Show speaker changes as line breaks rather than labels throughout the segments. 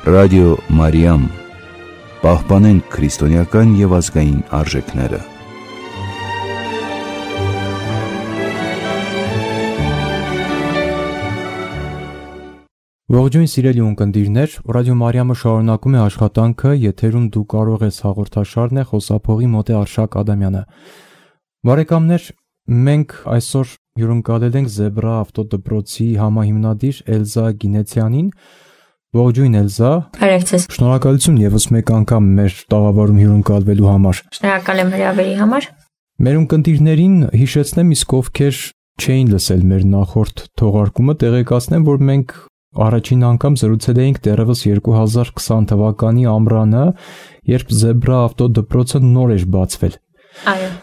Ռադիո Մարիամ, պահպանենք քրիստոնեական և ազգային արժեքները։
Ողջույն սիրելի ունկնդիրներ, Ռադիո Մարիամը շարունակում է աշխատանքը, եթերում դու կարող ես հաղորդաշարն է, խոսափողի մոտ է Արշակ Ադամյանը։ Բարեկամներ, մենք այսօր հյուրընկալել ենք Զեբրա ավտոդպրոցի համահիմնադիր Էլզա Գինեցյանին։ Ողջույն Էլզա։
Բարև։
Շնորհակալություն ևս մեկ անգամ մեր տաղավարում հյուրընկալվելու համար։
Շնորհակալ եմ հրավերի համար։
Մեր ունկնդիրներին հիշեցնեմ, իսկ ովքեր չէին լսել մեր նախորդ թողարկումը, տեղեկացնեմ, որ մենք առաջին անգամ զրուցել էինք դեռևս 2020 թվականի ամռանը, երբ Զեբրա ավտոդպրոցը նոր էր բացվել։
Այո։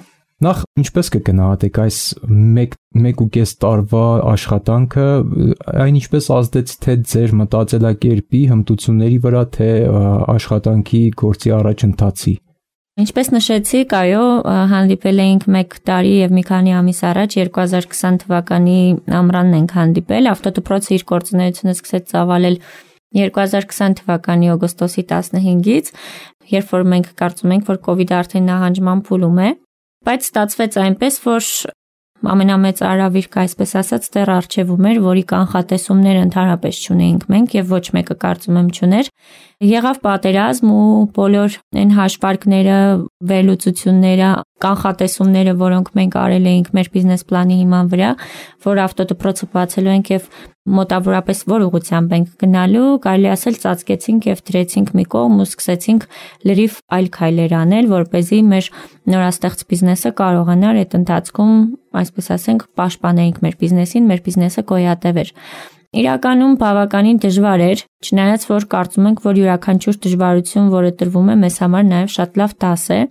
Նախ ինչպես կգնահատեք այս 1.5 տարվա աշխատանքը, այն ինչպես ազդեց թե ձեր մտածելակերպի, հմտությունների վրա, թե աշխատանքի գործի առաջընթացի։
Ինչպես նշեցիք, այո, հանդիպել էինք 1 տարի եւ մի քանի ամիս առաջ 2020 թվականի ամռանն ենք հանդիպել։ Ավտոդպրոցը իր գործունեությունը սկսեց ծավալել 2020 թվականի օգոստոսի 15-ից, երբ որ մենք կարծում ենք, որ COVID-ը արդեն նահանջման փուլում է, բայց ստացվեց այնպես, որ ամենամեծ արավիրքը, այսպես ասած, դեռ առջևում էր, որի կանխատեսումներ ընդհանրապես չունեինք մենք եւ ոչ մեկը կարծում եմ չուներ։ Եղավ պատերազմ ու բոլոր այն հաշվարկները, վերլուծությունները, կանխատեսումները, որոնք մենք արել էինք մեր բիզնես պլանի հիման վրա, որ ավտոդպրոցը բացելու ենք եւ մոտավորապես որ ուղղությամբ ենք գնալու, կարելի ասել ծածկեցինք եւ դրեցինք մի կողմ ու սկսեցինք լրիվ այլ քայլեր անել, որպեսզի մեր նորաստեղծ բիզնեսը կարողանար այդ ընթացքում, այսպես ասենք, պաշտպանեինք մեր բիզնեսին, մեր բիզնեսը գոյատևեր։ Իրականում բավականին դժվար էր, չնայած որ կարծում ենք, որ յուրաքանչյուր դժվարություն, որը տրվում է, մեզ համար նաև շատ լավ դաս է։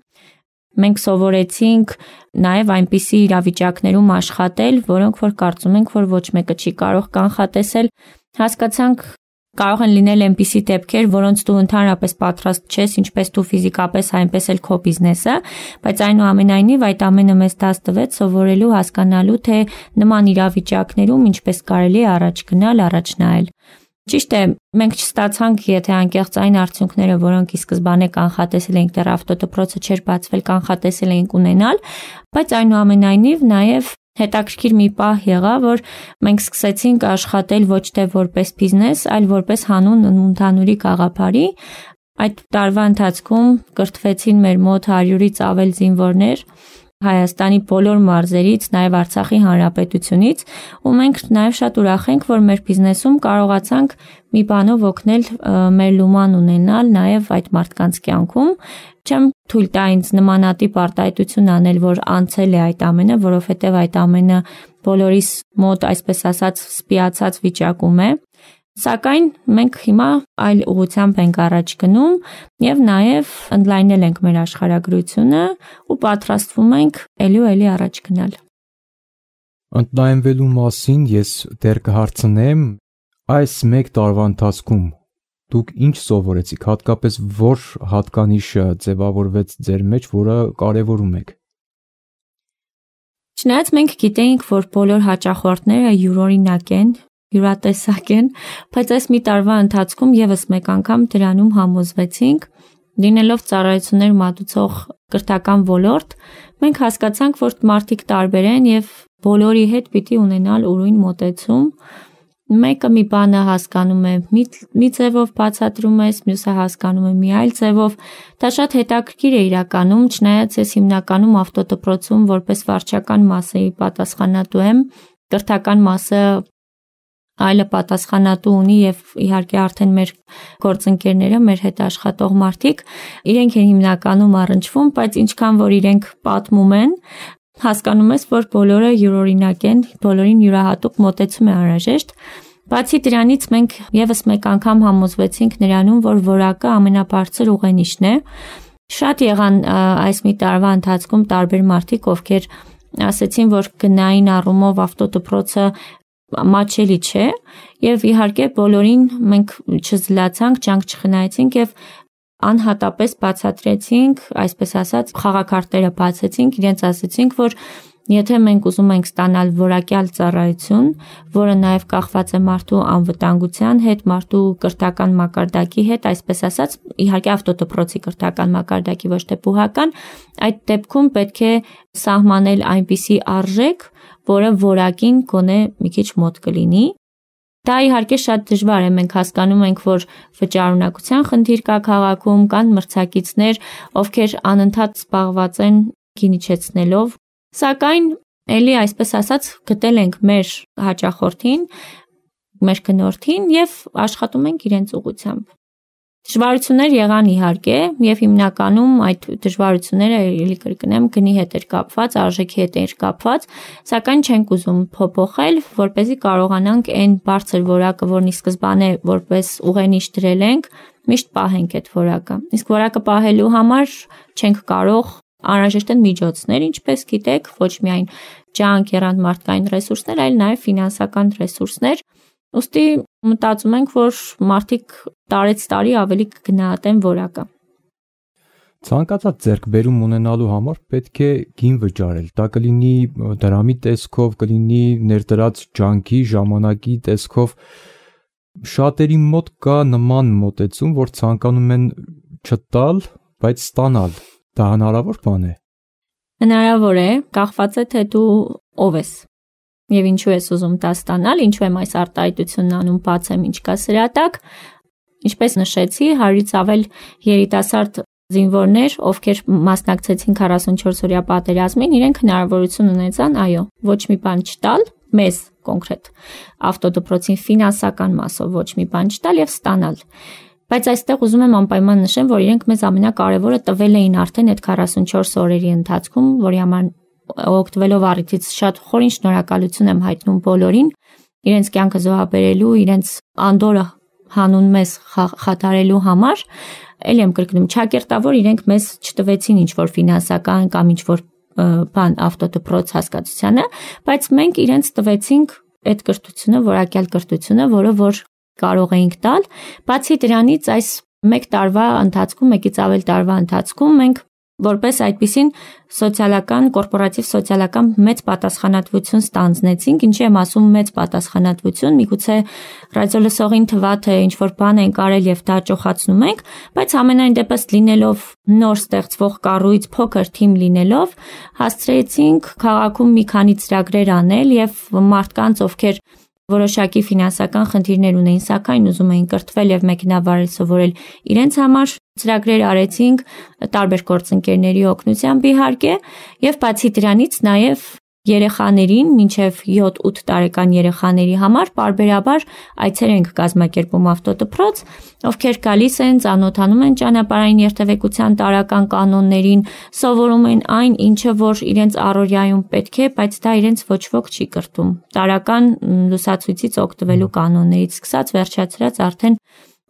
Մենք սովորեցինք նաև այնպիսի իրավիճակներում աշխատել, որոնք որ կարծում ենք, որ ոչ մեկը չի կարող կանխատեսել։ Հասկացանք, կարող են լինել այնպիսի դեպքեր, որոնց դու ընդհանրապես պատրաստ չես, ինչպես դու ֆիզիկապես, այնպես էլ քո բիզնեսը, բայց այնուամենայնիվ այդ ամենը մեզ դաս տվեց սովորելու, հասկանալու, թե նման իրավիճակներում ինչպես կարելի է առաջ գնալ, առաջ նայել։ Ճիշտ է, մենք չստացանք, եթե անկեղծ այն արդյունքները, որոնք ի սկզբանե կանխատեսել էինք, դեռ ավտոդպրոցը չէր բացվել, կանխատեսել էինք ունենալ, բայց այնուամենայնիվ նաև հետաքրքիր մի պահ եղավ, որ մենք սկսեցինք աշխատել ոչ թե որպես բիզնես, այլ որպես հանուն ընդհանուրի գաղափարի։ Այդ տարվա ընթացքում կրթվեցին մեր մոտ 100-ից ավել զինվորներ Հայաստանի բոլոր մարզերից, նաև Արցախի Հանրապետությունից, ու մենք նաև շատ ուրախ ենք, որ մեր բիզնեսում կարողացանք մի բանով օգնել մեր լուման ունենալ նաև այդ մարդկանց կյանքում։ Չեմ թույլ տա ինձ նմանատիպ արտահայտություն անել, որ անցել է այդ ամենը, որովհետև այդ ամենը բոլորիս մոտ, այսպես ասած, սպիացած վիճակում է։ Սակայն մենք հիմա այլ ուղղությամբ ենք առաջ գնում եւ նաեւ ընդլայնել ենք մեր աշխարհագրությունը ու պատրաստվում ենք ելի առաջ գնալ։
Ընդլայնվելու մասին ես դեռ կհարցնեմ, այս 1 տարվա ընթացքում դուք ինչ սովորեցիք, հատկապես որ հատկանիշը ձևավորվեց ձեր մեջ, որը կարևորում եք։
Չնայած մենք գիտեինք, որ բոլոր հաճախորդները յուրօրինակ են, յուրատեսակ են, բայց այս մի տարվա ընթացքում եւս մեկ անգամ դրանում համոզվեցինք, լինելով ծառայություններ մատուցող կրթական ոլորտ, մենք հասկացանք, որ մարդիկ տարբեր են եւ բոլորի հետ պիտի ունենալ ուրույն մոտեցում։ Մեկը մի բանը հասկանում է մի ձևով բացատրում ես, մյուսը հասկանում է մի այլ ձևով։ Դա շատ հետաքրքիր է իրականում, չնայած ես հիմնականում ավտոդպրոցում որպես վարչական մասի պատասխանատու եմ, կրթական մասը այլը պատասխանատու ունի եւ իհարկե արդեն մեր գործընկերները, մեր հետ աշխատող մարդիկ, իրենք են հիմնականում առնչվում, բայց ինչքան որ իրենք պատմում են, հասկանում ես, որ բոլորը յուրօրինակ են, բոլորին յուրահատուկ մոտեցում է անհրաժեշտ։ Բացի դրանից մենք եւս մեկ անգամ համոզվեցինք նրանում, որ որակը ամենաբարձր ուղենիշն է։ Շատ եղան այս մի տարվա ընթացքում տարբեր մարդիկ, ովքեր ասեցին, որ գնային առումով ավտոդպրոցը մաչելի չէ եւ իհարկե բոլորին մենք չզլացանք, ջանք չխնայեցինք եւ անհատապես բացատրեցինք, այսպես ասած, խաղակարտերը բացեցինք, իրենց ասեցինք, որ Եթե մենք ուզում ենք ստանալ որակյալ ծառայություն, որը նաև կախված է մարդու անվտանգության հետ, մարդու կրթական մակարդակի հետ, այսպես ասած, իհարկե ավտոդպրոցի կրթական մակարդակի, ոչ թե բուհական, այդ դեպքում պետք է սահմանել այնպիսի արժեք, որը որակին գոնե մի քիչ մոտ կլինի։ Դա իհարկե շատ դժվար է, մենք հասկանում ենք, որ վճարունակության խնդիր կա քաղաքում, կան մրցակիցներ, ովքեր անընդհատ զբաղված են գին իջեցնելով, սակայն էլի այսպես ասած գտել ենք մեր հաճախորդին, մեր գնորդին եւ աշխատում ենք իրենց ուղղությամբ։ Դժվարություններ եղան իհարկե եւ հիմնականում այդ դժվարությունները էլի կրկնեմ գնի հետ էր կապված, արժեքի հետ էր կապված, սակայն չենք ուզում փոփոխել, որպեսզի կարողանանք այն բարձր որակը, որն ի սկզբանե որպես ուղենիշ դրել ենք, միշտ պահենք այդ որակը։ Իսկ որակը պահելու համար չենք կարող, անհրաժեշտ են միջոցներ, ինչպես գիտեք, ոչ միայն ջանք, եռանդմարտկային ռեսուրսներ, այլ նաեւ ֆինանսական ռեսուրսներ։ Ուստի մտածում ենք, որ մարդիկ տարեց տարի ավելի կգնահատեն որակը։
Ցանկացած ձեռքբերում ունենալու համար պետք է գին վճարել։ Դա կլինի դրամի տեսքով, կլինի ներդրած ջանքի, ժամանակի տեսքով։ Շատերի մոտ կա նման մոտեցում, որ ցանկանում են չտալ, բայց ստանալ։ Դա հնարավոր բան է։
Հնարավոր է, կախված է թե դու ով ես։ Եվ ինչու ես ուզում դա ստանալ, ինչու եմ այս արտահայտությունն անում, բացեմ ինչ կա սրա տակ։ Ինչպես նշեցի, 100-ից ավել երիտասարդ զինվորներ, ովքեր մասնակցեցին 44-օրյա պատերազմին, իրենք հնարավորություն ունեցան, այո, ոչ մի բան չտալ, մեզ կոնկրետ ավտոդպրոցին ֆինանսական մասով ոչ մի բան չտալ եւ ստանալ։ Բայց այստեղ ուզում եմ անպայման նշեմ, որ իրենք մեզ ամենակարևորը տվել էին արդեն այդ 44 օրերի ընթացքում, որի համար օգտվելով առիթից շատ խորին շնորհակալություն եմ հայտնում բոլորին, իրենց կյանքը զոհաբերելու, իրենց անդորը հանուն մեզ խաթարելու համար, ելի եմ կրկնում, ճակերտավոր իրենք մեզ չտվեցին ինչ-որ ֆինանսական կամ ինչ-որ բան ավտոդպրոց հասկացությանը, բայց մենք իրենց տվեցինք այդ կրթությունը, որակյալ կրթությունը, որը որ կարող էինք տալ, բացի դրանից այս մեկ տարվա ընթացքում, մեկից ավել տարվա ընթացքում մենք որպես այդպիսին սոցիալական, կորպորատիվ սոցիալական մեծ պատասխանատվություն ստանձնեցինք, ինչի եմ ասում մեծ պատասխանատվություն, միգուցե ռադիոլսողին թվա թե ինչ-որ բան ենք արել եւ դա ճոխացնում ենք, բայց ամենայն դեպս լինելով նոր ստեղծվող կառույց, փոքր թիմ լինելով, հասցրեցինք քաղաքում մի քանի ծրագրեր անել եւ մարդկանց, ովքեր որոշակի ֆինանսական խնդիրներ ունեին, սակայն ուզում էին կրթվել եւ մեքենավարել սովորել իրենց համար ծրագրեր արեցինք տարբեր գործընկերների օգնությամբ իհարկե եւ բացի դրանից նաեւ երեխաներին մինչև 7-8 տարեկան երեխաների համար պարբերաբար այցեր ենք կազմակերպում ավտոդպրոց, ովքեր գալիս են, ծանոթանում են ճանապարհային երթևեկության տարրական կանոններին, սովորում են այն, ինչը որ իրենց առօրյայում պետք է, բայց դա իրենց ոչ ոք չի կրթում։ Տարրական լուսացույցից օգտվելու կանոններից սկսած վերջացրած արդեն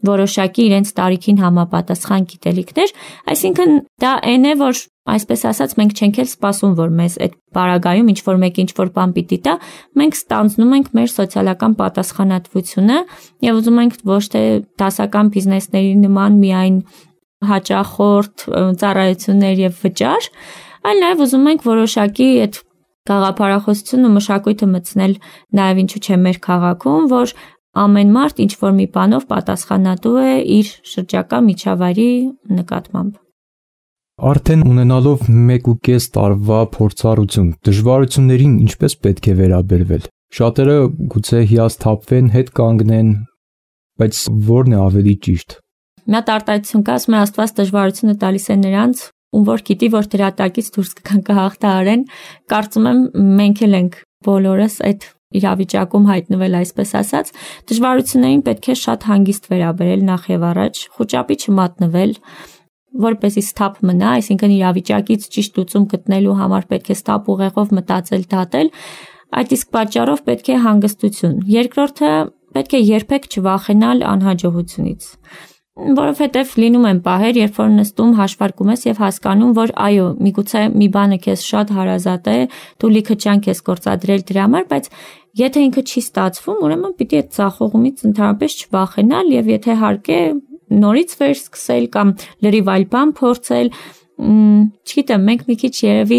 որոշակի իրենց տարիքին համապատասխան գիտելիքներ, այսինքն դա այն է, որ այսպես ասած մենք չենք էլ սպասում, որ մեզ այդ բարագայում ինչ-որ մեկ ինչ-որ բան պիտի տա, մենք ստանձնում ենք մեր սոցիալական պատասխանատվությունը եւ ուզում ենք ոչ թե դասական բիզնեսների նման միայն հաճախորդ ծառայություններ եւ վճար, այլ նաեւ ուզում ենք որոշակի այդ գաղափարախոսությունն ու մշակույթը մտցնել նաեւ ինչու՞ չէ մեր քաղաքում, որ ամեն մարդ ինչ-որ մի բանով պատասխանատու է իր շրջակա միջավայրի նկատմամբ։
Արդեն ունենալով 1.5 տարվա փորձառություն, դժվարություններին ինչպես պետք է վերաբերվել։ Շատերը գուցե հիասթափվեն, հետ կանգնեն, բայց ո՞րն է ավելի ճիշտ։
Մի հատ արտահայտություն կա, ասում է Աստված դժվարությունը տալիս է նրանց, ում որ գիտի, որ դրա տակից դուրս կգան կհաղթահարեն։ Կարծում եմ մենք էլ ենք բոլորս այդ իրավիճակում հայտնվել այսպես ասած, դժվարություններին պետք է շատ հանգիստ վերաբերել նախ եւ առաջ, խոճապի չմատնվել, որպեսզի սթափ մնա, այսինքն իրավիճակից ճիշտ լուծում գտնելու համար պետք է սթափ ուղեղով մտածել, դատել, այդ իսկ պատճառով պետք է հանգստություն։ Երկրորդը պետք է երբեք չվախենալ անհաջողությունից, որովհետև լինում են պահեր, երբ որ նստում հաշվարկում ես եւ հասկանում, որ այո, միգուցե մի բանը քեզ շատ հարազատ է, դու լիքը ջանք ես գործադրել դրա համար, բայց եթե ինքը չի ստացվում, ուրեմն պիտի այդ ցախողումից ընդհանրապես չվախենալ եւ եթե հարկ է նորից վերսկսել կամ լրիվ այլ բան փորձել, չգիտեմ, մենք մի քիչ երևի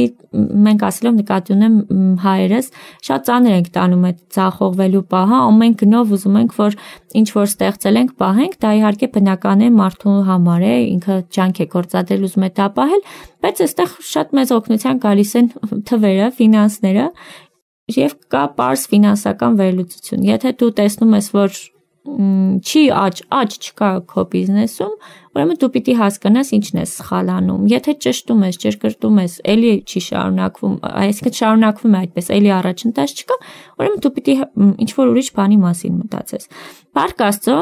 մենք ասելով նկատի ունեմ հայերս շատ ծանր ենք տանում այդ ձախողվելու պահը, ամեն գնով ուզում ենք որ ինչ որ ստեղծել ենք պահենք, դա իհարկե բնական է մարդու համար է, ինքը ջանք է գործադրել, ուզում է դա պահել, բայց այստեղ շատ մեծ օգնության գալիս են թվերը, ֆինանսները եւ կա պարզ ֆինանսական վերլուծություն։ Եթե դու տեսնում ես, որ չի աճ չկա քո բիզնեսում, ուրեմն դու պիտի հասկանաս ինչն է սխալ անում։ Եթե ճշտում ես, ճշգրտում ես, էլի չի շարունակվում, այսինքն շարունակվում է այդպես, էլի առաջընթաց չկա, ուրեմն դու պիտի ինչ որ ուրիշ բանի մասին մտածես։ Փառք Աստծո,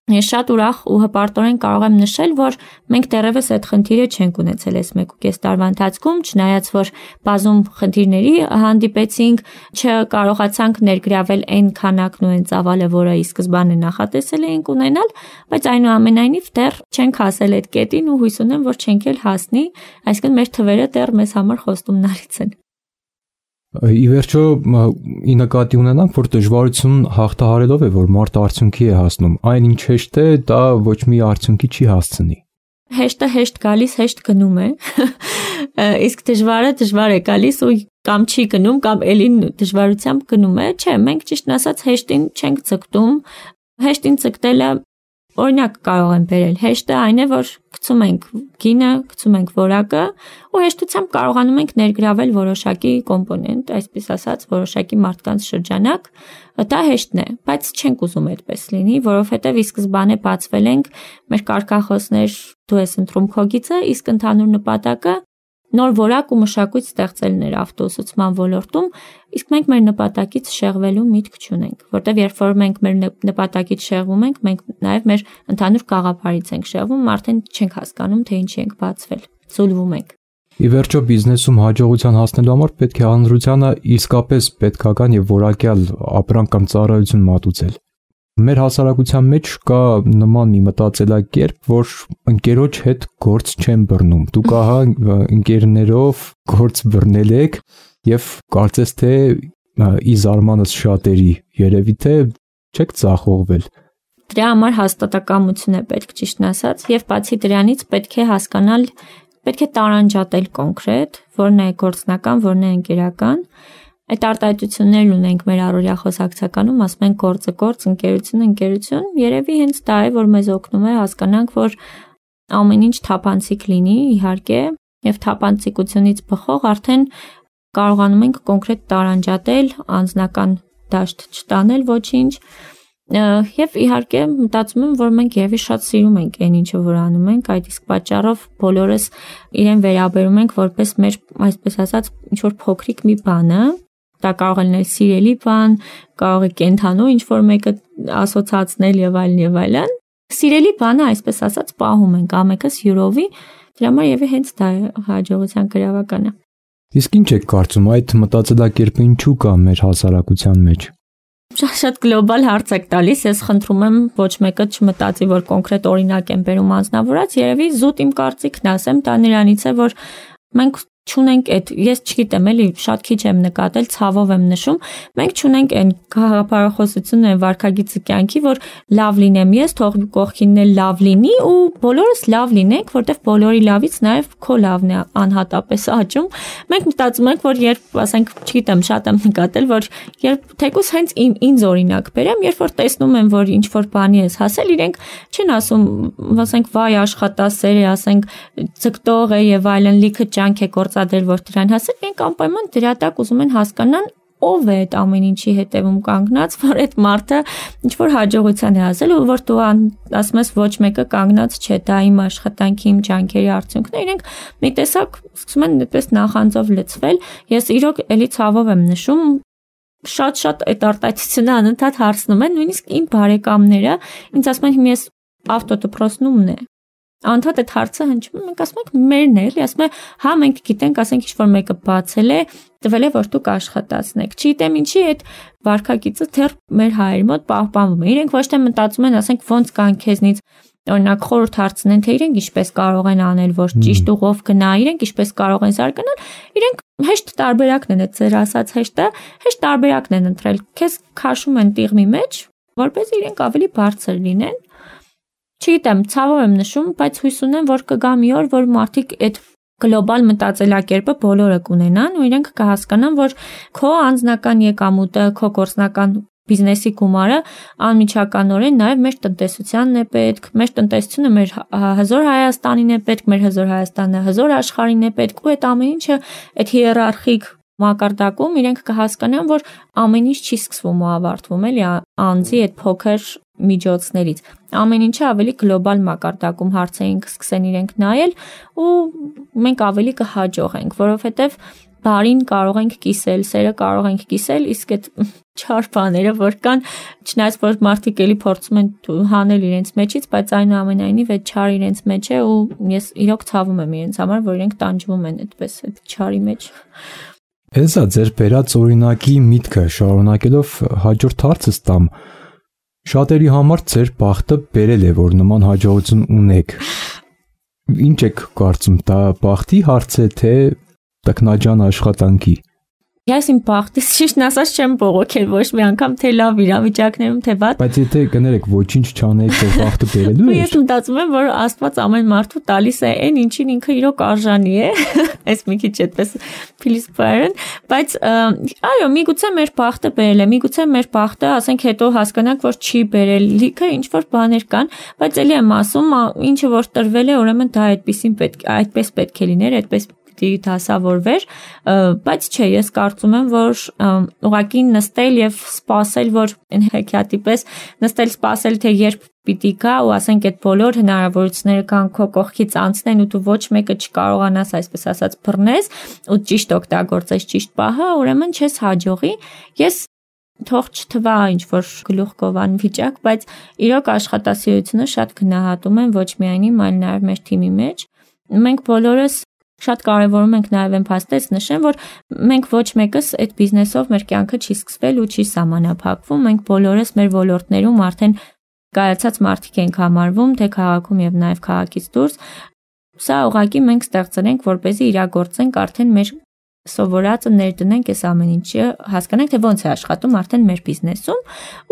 ես շատ ուրախ ու հպարտորեն կարող եմ նշել, որ մենք դեռևս այդ խնդիրը չենք ունեցել այս 1.5 տարվա ընթացքում, չնայած որ բազում խնդիրների հանդիպեցինք, չկարողացանք ներգրավել այն քանակն ու այն ծավալը, որը ի սկզբանե նախատեսել էինք ունենալ, բայց այնուամենայնիվ դեռ չենք հասել այդ կետին ու հույս ունեմ, որ չենք էլ հասնի, այսինքն մեր թվերը դեռ մեզ համար խոստումնալից են։
Ի վերջո ի նկատի ունենանք, որ դժվարություն հաղթահարելով է, որ մարդը արդյունքի է հասնում, այն ինչ հեշտ է, դա ոչ մի արդյունքի չի հասցնի։
Հեշտը հեշտ գալիս, հեշտ գնում է, իսկ դժվարը դժվար է գալիս ու կամ չի գնում, կամ էլի դժվարությամբ գնում է, չէ, մենք ճիշտն ասած հեշտին չենք ցկտում, հեշտին ցկտելը օրինակ կարող եմ բերել, հեշտը այն է, որ գցում ենք գինը, գցում ենք որակը ու հեշտությամբ կարողանում ենք ներգրավել որոշակի կոմպոնենտ, այսպես ասած, որոշակի մարդկանց շրջանակ, դա հեշտն է, բայց չենք ուզում այդպես լինի, որովհետև ի սկզբանե բացվել ենք, մեր կարգախոսներ դու ես ընտրում քո գիծը, իսկ ընդհանուր նպատակը նոր որակ ու մշակույթ ստեղծելն էր ավտոուսուցման ոլորտում, իսկ մենք մեր նպատակից շեղվելու միտք չունենք, որտեղ երբ որ մենք մեր նպատակից շեղվում ենք, մենք նաև մեր ընդհանուր գաղափարից ենք շեղվում, արդեն չենք հասկանում, թե ինչի ենք բացվել, ցուլվում ենք։
Ի վերջո բիզնեսում հաջողության հասնելու համար պետք է հանրությանը իսկապես պետքական եւ որակյալ ապրանք կամ ծառայություն մատուցել։ Մեր հասարակության մեջ կա նման մի մտածելակերպ, որ ընկերոջ հետ գործ չեն բռնում։ Դուք ահա ընկերներով գործ բռնել եք եւ կարծես թե ի զարմանս շատերի երևի թե չեք ծախողվել։
Դրա համար հաստատակամություն է պետք, ճիշտն ասած, եւ բացի դրանից պետք է հասկանալ, պետք է տարանջատել կոնկրետ, որն է գործնական, որն է ընկերական։ Այդ արտահայտություններն ունենք մեր առօրյա խոսակցականում, ասում ենք գործը գործ, ընկերություն, երևի հենց դա է, որ մեզ օգնում է հասկանանք, որ ամեն ինչ թափանցիկ լինի, իհարկե, եւ թափանցիկությունից բխող արդեն կարողանում ենք կոնկրետ տարանջատել, անձնական դաշտ չտանել ոչինչ, եւ իհարկե մտածում եմ, որ մենք երևի շատ սիրում ենք այն ինչը որ անում ենք, այդ իսկ պատճառով բոլորս իրեն վերաբերում ենք որպես մեր, այսպես ասած, ինչ որ փոքրիկ մի բանը, դա կարող է լինել սիրելի բան, կարող է կենթանու ինչ որ մեկը ասոցացնել եւ այլն։ Սիրելի բանը, այսպես ասած, պահում ենք ամենքս յուրովի, դրա համար եւի հենց դա է հաջողության գրավականը։
Իսկ ինչ եք կարծում, այդ մտածելակերպը ինչու կա մեր հասարակության մեջ։
Շատ գլոբալ հարց եք տալիս, ես խնդրում եմ ոչ մեկը չմտածի, որ կոնկրետ օրինակ եմ բերում անձնավորած, երևի զուտ իմ կարծիքն ասեմ, դա նրանից է, որ մենք չունենք այդ, ես չգիտեմ, էլի շատ քիչ եմ նկատել, ցավով եմ նշում, մենք չունենք այն գաղափարախոսությունը, վարքագիծը կյանքի, որ լավ լինեմ ես, թող կողքինն էլ լավ լինի ու բոլորս լավ լինենք, որտեվ բոլորի լավից նաև քո լավն է անհատապես աճում։ Մենք մտածում ենք, որ երբ, ասենք, չգիտեմ, շատ եմ նկատել, որ երբ թեկուզ հենց ինձ օրինակ բերեմ, երբ որ տեսնում եմ, որ ինչ որ բանի ես հասել, իրենք չեն ասում, ասենք, վայ աշխատասեր է, ասենք, ցկտող է եւ այլն, լիքը ջանք է գործադրել, որ դրան հասել, մենք անպայման դրա տակ ուզում են հասկանան ով է այդ ամեն ինչի հետևում կանգնած, որ այդ մարդը ինչ որ հաջողության է հասել ու որ դու ասում ես ոչ մեկը կանգնած չէ, դա իմ աշխատանքի, իմ ջանքերի արդյունքն է, իրենք մի տեսակ սկսում են այդպես նախանձով լցվել։ Ես իրոք էլի ցավով եմ նշում, շատ այդ արտահայտությունը անընդհատ հարցնում են, նույնիսկ իմ բարեկամները ինձ ասում են, ես ավտոդպրոցնումն է Անդհատ այդ հարցը հնչում է, մենք ասում ենք մերն է, էլի, ասում է, հա մենք գիտենք, ասենք ինչ-որ մեկը բացել է, տվել է, որ դուք աշխատացնեք։ Չգիտեմ ինչի այդ վարքագիծը դեռ մեր հայերի մոտ պահպանվում է։ Իրենք ոչ թե մտածում են, ասենք ոնց կան քեզնից օրինակ խորհուրդ հարցնեն, թե իրենք ինչպես կարող են անել, որ ճիշտ ուղով գնա, իրենք ինչպես կարող են զարգանալ, իրենք հեշտ տարբերակն են, այդ ձեր ասած հեշտ տարբերակն են ընտրել։ Քեզ քաշում են տիղմի մեջ, որպես իրենք ավելի բարձր լինեն։ Չգիտեմ, ցավով եմ նշում, բայց հույս ունեմ, որ կգա մի օր, որ մարդիկ այդ գլոբալ մտածելակերպը բոլորը կունենան ու իրենք կհասկանան, որ քո անձնական եկամուտը, քո գործնական բիզնեսի գումարը անմիջականորեն նաև մեր տնտեսությանն է պետք, մեր տնտեսությունը մեր հզոր Հայաստանին է պետք, մեր հզոր Հայաստանը հզոր աշխարհին է պետք ու այդ ամեն ինչը այդ հիերարխիկ մակարդակում իրենք կհասկանան, որ ամեն ինչ չի սկսվում ու ավարտվում, էլի անձի այդ փոքր միջոցներից։ Ամեն ինչը ավելի գլոբալ մակարդակում հարցերին կսկսեն իրենք նայել ու մենք ավելի կհաջողենք, որովհետև բարին կարող ենք կիսել, սերը կարող ենք կիսել, իսկ այդ չար բաները, որ կան, չնայած որ մարդիկ էլի փորձում են հանել իրենց մեջից, բայց այնուամենայնիվ այդ չար իրենց մեջ է ու ես իրոք ցավում եմ իրենց համար, որ իրենք տանջվում են այդպես այդ չարի մեջ։
Էլզա, ձեր բերած օրինակի միտքը շարունակելով հաջորդ հարցս տամ, շատերի համար ձեր բախտը բերել է, որ նման հաջողություն ունեք։ Ինչ եք կարծում, դա բախտի հարց է, թե տքնաջան աշխատանքի։
Ես իմ բախտից ճիշտն ասած չեմ բողոքել ոչ մի անգամ, թե լավ իրավիճակներում, թե վատ։
Բայց եթե կներեք ոչինչ չանեք, թե բախտը բերելու է։
Ես մտածում եմ, որ Աստված ամեն մարդու տալիս է այն, ինչին ինքը իրոք արժանի է։ Այս մի քիչ այդպես փիլիսոփայերեն, բայց այո, միգուցե մեր բախտը բերել է, միգուցե մեր բախտը, ասենք հետո հասկանանք, որ չի բերել, լիքը ինչ որ բաներ կան, բայց էլի եմ ասում, ինչը որ տրվել է, ուրեմն դա այդպես պետք է լիներ, այդպես դասավորվեր, բայց չէ, ես կարծում եմ, որ ուղղակի նստել եւ սպասել, որ հեքիաթի պես նստել սպասել, թե երբ պիտի գա ու ասենք այդ բոլոր հնարավորությունները կան քո կողքից անցնեն ու դու ոչ մեկը չկարողանաս, այսպես ասած, բռնես ու ճիշտ օգտագործես ճիշտ պահը, ուրեմն չես հաջողի։ Ես թող չթվա ինչ որ գլուխ գովան վիճակ, բայց իրոք աշխատասիրությունը շատ գնահատում եմ ոչ միայն իմ, այլ նաեւ մեր թիմի մեջ։ Մենք բոլորս շատ կարևորում ենք նաև այն փաստից նշեմ, որ մենք ոչ մեկս այդ բիզնեսով մեր կյանքը չի սկսվել ու չի սահմանափակվում, մենք բոլորս մեր ոլորտներում արդեն կայացած մարդիկ ենք համարվում, թե քաղաքում եւ նաև քաղաքից դուրս։ Սա ուղղակի մենք ստեղծել ենք, որպեսզի իրագործենք արդեն մեր սովորածը ներդնենք այս ամեն ինչը, հասկանանք, թե ոնց է աշխատում արդեն մեր բիզնեսում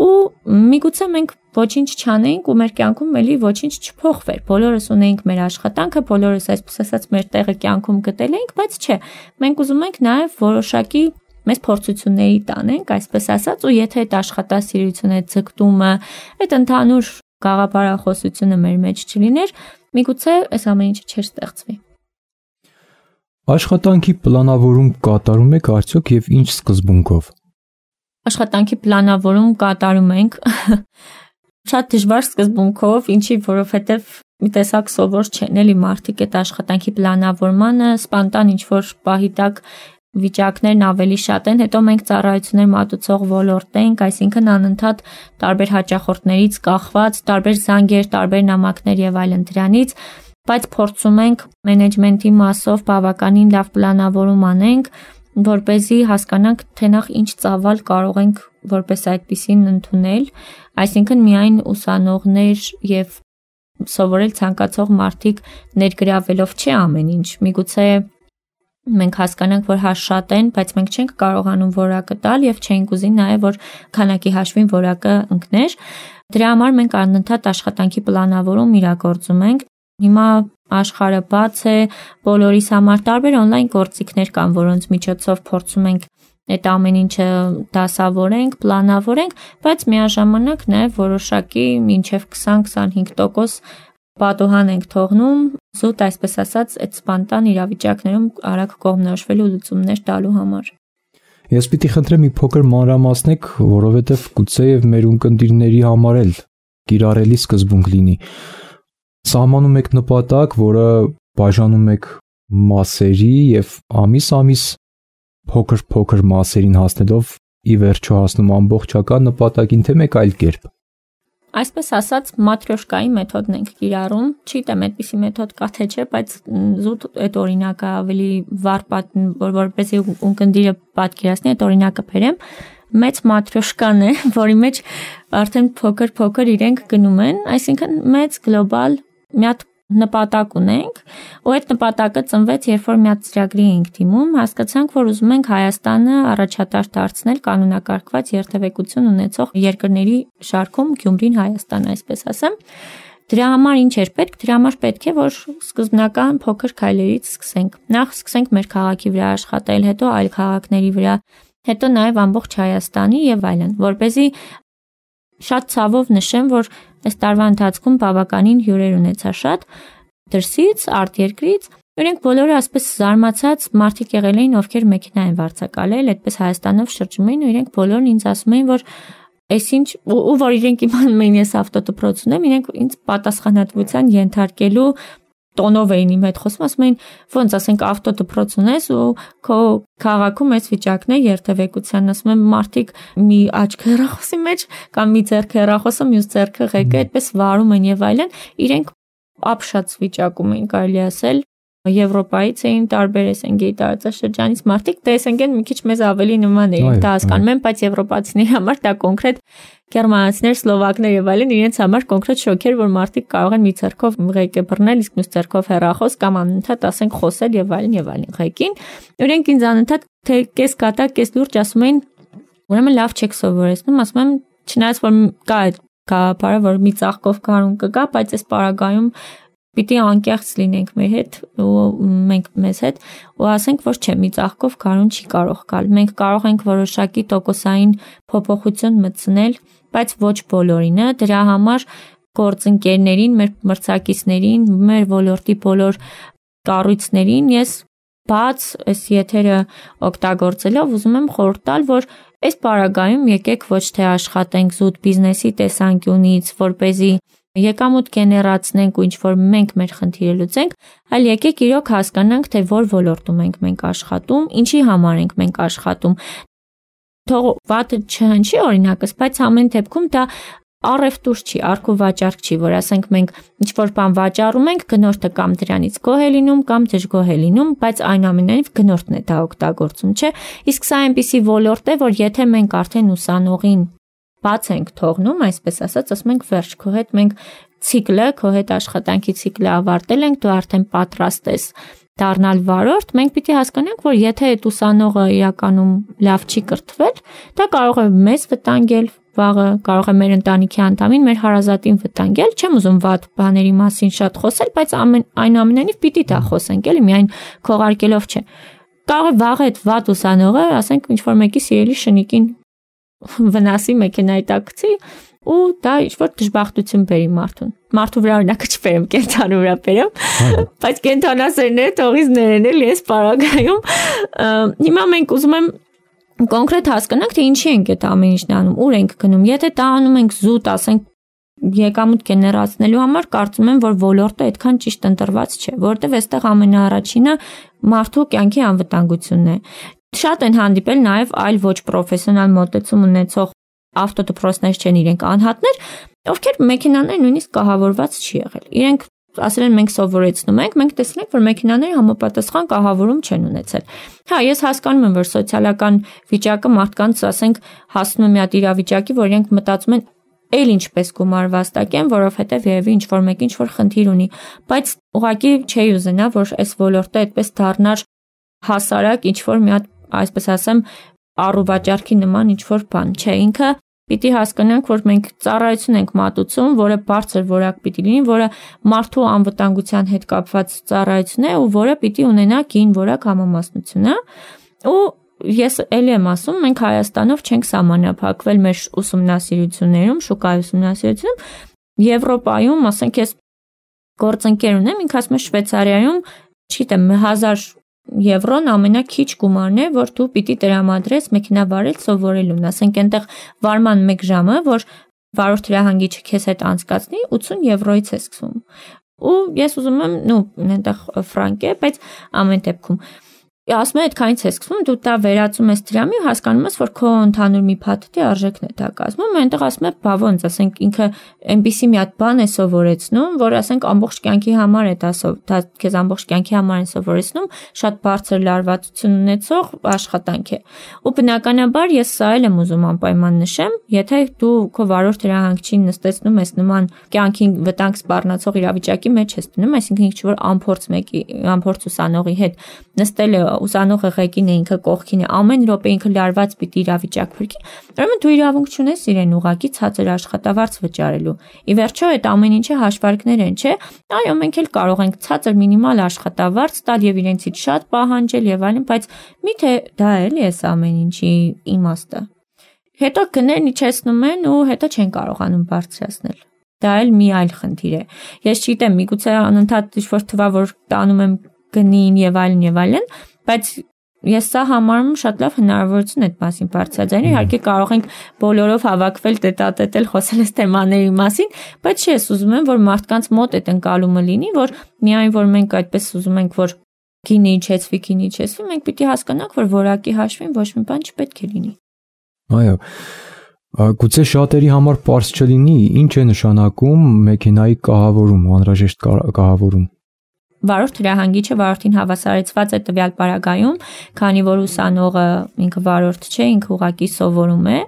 ու միգուցե մենք ոչինչ չանեինք ու մեր կյանքում էլի ոչինչ չփոխվեր։ Բոլորս ունեինք մեր աշխատանքը, բոլորս այսպես ասած մեր տեղը կյանքում գտել էինք, բայց չէ, մենք ուզում ենք նաև որոշակի մեծ փորձությունների տանենք, այսպես ասած, ու եթե այդ աշխատասիրությունը, ձգտումը, այդ ընդհանուր գաղափարախոսությունը մեր մեջ չլիներ, միգուցե այս ամեն ինչը չէր ստեղծվի։
Աշխատանքի պլանավորում կատարում եք արդյոք եւ ինչ սկզբունքով։
Աշխատանքի պլանավորում կատարում ենք շատ դժվար սկզբունքով, ինչի որովհետեւ մի տեսակ սովոր չեն էլի մարդիկ այդ աշխատանքի պլանավորմանը, սպանտան ինչ որ պահի տակ վիճակներն ավելի շատ են, հետո մենք ծառայություններ մատուցող ոլորտ ենք, այսինքն անընդհատ տարբեր հաճախորդներից կախված, տարբեր զանգեր, տարբեր նամակներ եւ այլն դրանից, բայց փորձում ենք մենեջմենթի մասով բավականին լավ պլանավորում անենք, որպեսզի հասկանանք, թե նախ ինչ ծավալ կարող ենք որպես այդպիսին ընդունել, այսինքն միայն ուսանողներ եւ սովորել ցանկացող մարդիկ ներգրավելով չէ ամեն ինչ, միգուցե մենք հասկանանք, որ հաշ շատ են, բայց մենք չենք կարողանում որակը տալ եւ չենք ուզի նաեւ որ քանակի հաշվին որակը ընկներ։ Դրա համար մենք անընդհատ աշխատանքի պլանավորում իրագործում ենք։ Հիմա աշխարհը բաց է, բոլորիս համար տարբեր on-line գործիքներ կան, որոնց միջոցով փորձում ենք այդ ամեն ինչը դասավորենք, պլանավորենք, բայց միաժամանակ նաև որոշակի մինչև 20-25% պատուհան ենք թողնում, զուտ այսպես ասած, այդ սպանտան իրավիճակներում արագ կողմնորոշվելու լուծումներ տալու համար։
Ես պիտի խնդրեմ մի փոքր մանրամասնեք, որովհետև գուցեև մեր ունկնդիրների համար էլ կիրառելի սկզբունք լինի։ Սահմանում եք նպատակ, որը բաժանում եք մասերի եւ ամիս փոքր մասերին հասնելով ի վերջո հասնում ամբողջական նպատակին, թե մեկ այլ կերպ։
Այսպես ասած, մատրյոշկայի մեթոդն ենք կիրառում, չգիտեմ այդպիսի մեթոդ կա թե չէ, բայց զուտ այդ օրինակը ավելի վառ որպեսզի ունկնդիրը պատկերացնի, այդ օրինակը բերեմ, մեծ մատրյոշկան է, որի մեջ արդեն փոքր իրենք գնում են, այսինքն մեծ գլոբալ մի հատ նպատակ ունենք, ու այդ նպատակը ծնվեց, երբ որ մի հատ ծրագրի ենք դիմում, հասկացանք, որ ուզում ենք Հայաստանը առաջատար դարձնել կանոնակարգված երթևեկություն ունեցող երկրների շարքում Գյումրին Հայաստան, այսպես ասեմ։ Դրա համար ինչ էր պետք? Դրա համար պետք է որ սկզբնական փոքր քայլերից սկսենք։ Նախ սկսենք մեր քաղաքի վրա աշխատել, հետո այլ քաղաքների վրա, հետո նաև ամբողջ Հայաստանի եւ այլն, որպեսզի շատ ցավով նշեմ, որ այս տարվա ընթացքում բավականին հյուրեր ունեցա շատ դրսից, արտերկրից, իրենք բոլորը ասպես զարմացած մարդիկ եղել էին, ովքեր մեքենա են վարձակալել, այդպես Հայաստանով շրջում էին ու իրենք բոլորն ինձ ասում էին, որ այսինչ ու որ իրենք իմանում էին ես ավտոդպրոց ունեմ, իրենք ինձ պատասխանատվության ենթարկելու տոնով էին իմ հետ խոսում, ասում էին ոնց ասենք ավտոդպրոց ունես ու քո քաղաքում այս վիճակն է երթևեկության, ասում եմ մարդիկ մի աչք հեռախոսի մեջ կամ մի ձեռք հեռախոսը մյուս ձեռքը ղեկը այդպես վարում են եւ այլն, իրենք ապշած վիճակում էին կարելի ասել Եվրոպայից էին տարբեր SNG-ի տարածաշրջանից մարդիկ, դա SNG-ն մի քիչ մեզ ավելի նման էին, դա հասկանում եմ, բայց եվրոպացիների համար դա կոնկրետ գերմանացիներ, սլովակներ եւ այլն իրենց համար կոնկրետ շոկ էր, որ մարդիկ կարող են մի ձեռքով ղեկը բռնել, իսկ մյուս ձեռքով հեռախոս կամ անընդհատ ասենք խոսել եւ այլն ղեկին։ Իրենք ինձ անընդհատ թե կես կատակ, կես լուրջ ասում էին, ուրեմն լավ չեք սովորեցնում, ասում եմ, չնայած որ կա այդ գաղափարը, որ մի ծաղկով կարուն կգա, բայց այս պարագայում պիտի անկեղծ լինենք մեր հետ ու մենք մեզ հետ ու ասենք որ չէ մի ծաղկով կարուն չի կարող գալ մենք կարող ենք որոշակի տոկոսային փոփոխություն մտցնել բայց ոչ բոլորինը դրա համար գործընկերներին մեր մրցակիցներին մեր ոլորտի բոլոր կառույցներին ես բաց այս եթերը օգտագործելով ուզում եմ խորհուրդ տալ որ այս պարագայում եկեք ոչ թե աշխատենք զուտ բիզնեսի տեսանկյունից որպեսզի եկամուտ գեներացնենք ու ինչ որ մենք մեր խնդիրը լուծենք, այլ եկեք իրոք հասկանանք, թե որ ոլորտում ենք մենք աշխատում, ինչի համար ենք մենք աշխատում։ Թող վատը չհնչի օրինակս, բայց ամեն դեպքում դա առևտուր չի, արք ու վաճառք չի, որ ասենք մենք ինչ որ բան վաճառում ենք, գնորդը կամ դրանից գոհ է լինում կամ դժգոհ է լինում, բայց այնուամենայնիվ գնորդն է դա օգտագործում, չէ՞։ Իսկ սա այնպիսի ոլորտ է, որ եթե մենք արդեն ուսանողին բաց ենք թողնում, այսպես ասած, ասում ենք վերջ, քո հետ մենք ցիկլը, քո հետ աշխատանքի ցիկլը ավարտել ենք, դու արդեն պատրաստ ես դառնալ վարորդ, մենք պիտի հասկանանք, որ եթե այդ ուսանողը իրականում լավ չի կրթվել, դա կարող է մեզ վտանգել, վաղը կարող է մեր ընտանիքի անդամին, մեր հարազատին վտանգել, չեմ ուզում վատ բաների մասին շատ խոսել, բայց այնուամենայնիվ պիտի դա խոսենք, էլի միայն քողարկելով չէ։ Կարող է վաղը այդ վատ ուսանողը, ասենք, ինչ որ մեկի սիրելի շնիկին վնասի մեքենայի տակցի ու դա ինչ-որ դժբախտություն բերի մարդուն։ Մարդու վրա օրինակը չբերեմ, կենթանու վրա բերեմ, բայց կենթանասերները թողից ներեն էլի այս պարագայում։ Հիմա մենք ուզում եմ կոնկրետ հասկանանք, թե ինչի ենք այդ ամեն ինչն անում, ուր ենք գնում։ Եթե դա անում ենք զուտ, ասենք, եկամուտ գեներացնելու համար, կարծում եմ, որ ոլորտը այդքան ճիշտ ընտրված չէ, որովհետև այստեղ ամենաառաջինը մարդու կյանքի անվտանգությունն է։ Շատ են հանդիպել նաև այլ ոչ պրոֆեսիոնալ մոտեցում ունեցող ավտոդպրոցներ չեն իրենք անհատներ, ովքեր մեքենաներ նույնիսկ կահավորված չի եղել։ Իրենք ասել են մենք սովորեցնում ենք, մենք տեսել ենք, որ մեքենաները համապատասխան կահավորում չեն ունեցել։ Հա, ես հասկանում եմ, որ սոցիալական վիճակը մարդկանց, ասենք, հասնում է մի հատ իրավիճակի, որ իրենք մտածում են էլ ինչպես գումար վաստակեն, որովհետև երևի ինչ որ մեկ ինչ որ խնդիր ունի, բայց ուղղակի չի ուզենա, որ այս ոլորտը այդպես դառնար հասարակ ինչ որ մի հատ, այսպես ասեմ, առուվաճառքի նման ինչ որ բան, չէ, ինքը պիտի հասկանանք, որ մենք ծառայություն ենք մատուցում, որը բարձր որակ պիտի լինի, որը մարդու անվտանգության հետ կապված ծառայություն է ու որը պիտի ունենա կին որակ համամասնություն, ու ես էլի եմ ասում, մենք Հայաստանով չենք սահմանափակվել մեր ուսումնասիրություններում, շուկայի ուսումնասիրությունում, Եվրոպայում, ասենք ես գործընկեր ունեմ, ինքը ասում է Շվեյցարիայում, չգիտեմ, 1000 եվրոն ամենաքիչ գումարն է, որ դու պիտի տրամադրես մեքենա վարել սովորելուն, ասենք այնտեղ վարման 1 ժամը, որ վարորդ հրահանգիչը քեզ հետ անցկացնի, 80 եվրոից է սկսում։ Ու ես ուզում եմ, այնտեղ ֆրանկ է, բայց ամեն դեպքում ասում եմ, այդքանից է սկսվում, դու դա վերածում ես դրամի ու հասկանում ես, որ քո ընդհանուր մի փաթեթի արժեքն է դա կազմում, այնտեղ ասում է, բա ոնց, ասենք ինքը այնպիսի մի հատ բան է սովորեցնում, որ ասենք ամբողջ կյանքի համար է դա քեզ ամբողջ կյանքի համար են սովորեցնում, շատ բարձր լարվածություն ունեցող աշխատանք է։ Ու բնականաբար ես սա էլ եմ ուզում անպայման նշեմ, եթե դու քո վարորդ հրահանգչին նստեցնում ես նման կյանքին վտանգ սպառնացող իրավիճակի մեջ ես դնում, այսինքն ինչ որ անփորձ ուսանողի հետ նստել է ուսանողը ղեկին է, ինքը կողքին է, ամեն րոպե ինքը լարված պիտի իրավիճակ փրկի, ուրեմն դու իրավունք չունես իրեն ուղակի ցածր աշխատավարձ վճարելու։ Ի վերջո այդ ամեն ինչը հաշվարկներ են, չէ՞։ Այո, մենք էլ կարող ենք ցածր մինիմալ աշխատավարձ տալ եւ իրենցից շատ պահանջել եւ այլն, բայց միթե դա էլի է ամեն ինչի իմաստը։ Հետո գներն իջեցնում են ու հետո չեն կարողանում բարձրացնել։ Դա էլ մի այլ խնդիր է։ Ես չգիտեմ, միգուցե անընդհատ ինչ-որ թվա, որ տանում եմ գնին եւ այլն, բայց ես սա համարում եմ շատ լավ հնարավորություն այդ մասին բարձրաձայնել։ Իհարկե կարող ենք բոլորով հավաքվել, տետատետել, խոսել այս թեմաների մասին, բայց ես ուզում եմ, որ մարդկանց մոտ այդ ընկալումը լինի, որ միայն որ մենք այդպես ուզում ենք, որ գինը իջեցվի, մենք պիտի հասկանանք, որ որակի հաշվին ոչ մի բան չպետք է լինի։
Այո, գուցե շատերի համար պարզ չլինի, ինչ է նշանակում մեքենայի կահավորում, անհրաժեշտ կահավորում։
Վարորդ հրահանգիչը վարորդին հավասարեցված է տվյալ պարագայում, քանի որ ուսանողը ինքը վարորդ չէ, ինքը ուղղակի սովորում է։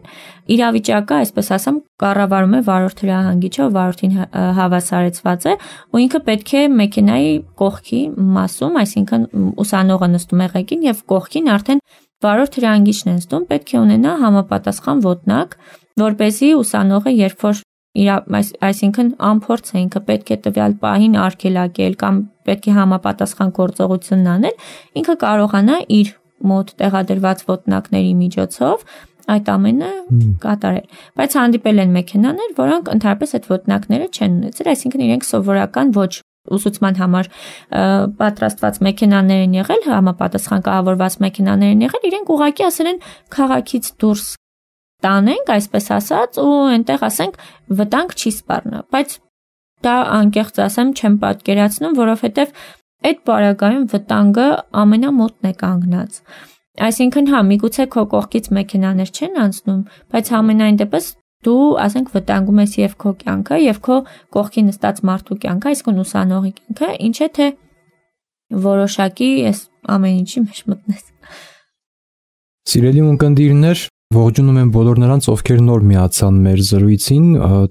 Իրավիճակը, այսպես ասեմ, կառավարում է վարորդ հրահանգիչը, վարորդին հավասարեցված է, ու ինքը պետք է մեքենայի կողքի մասում, այսինքն ուսանողը նստում է ղեկին եւ կողքին արդեն վարորդ հրահանգիչն է նստում, պետք է ունենա համապատասխան ոտնակ, որպեսզի ուսանողը երբ որ այսինքն անփորձ է, ինքը պետք է տվյալ պահին արգելակել կամ պետք է համապատասխան գործողությունն անել, ինքը կարողանա իր մոտ տեղադրված ոտնակների միջոցով այդ ամենը կատարել։ Բայց հանդիպել են մեքենաներ, որոնք ընդհանրապես այդ ոտնակները չեն ունեցել, այսինքն իրենք սովորական ոչ ուսուցման համար պատրաստված մեքենաներ են եղել, համապատասխան կահավորված մեքենաներ են եղել, իրենք ուղղակի ասել են քաղաքից դուրս տանենք, այսպես ասած, ու այնտեղ ասենք վտանգ չի սպառնա, բայց դա անկեղծ ասեմ չեմ պատկերացնում, որովհետև այդ պարագայում վտանգը ամենամոտն է կանգնած։ Այսինքն հա, միգուցե քո կողքից մեքենաներ չեն անցնում, բայց համենայն դեպս դու, ասենք, վտանգում ես եւ քո կյանքը, եւ քո կողքի նստած մարդու կյանքը, այսինքն ուսանողի կյանքը, ինչ է թե որոշակի այս ամեն ինչի մեջ մտնես։
Սիրելի ունկնդիրներ, ողջունում եմ բոլոր նրանց, ովքեր նոր միացան մեր զրույցին,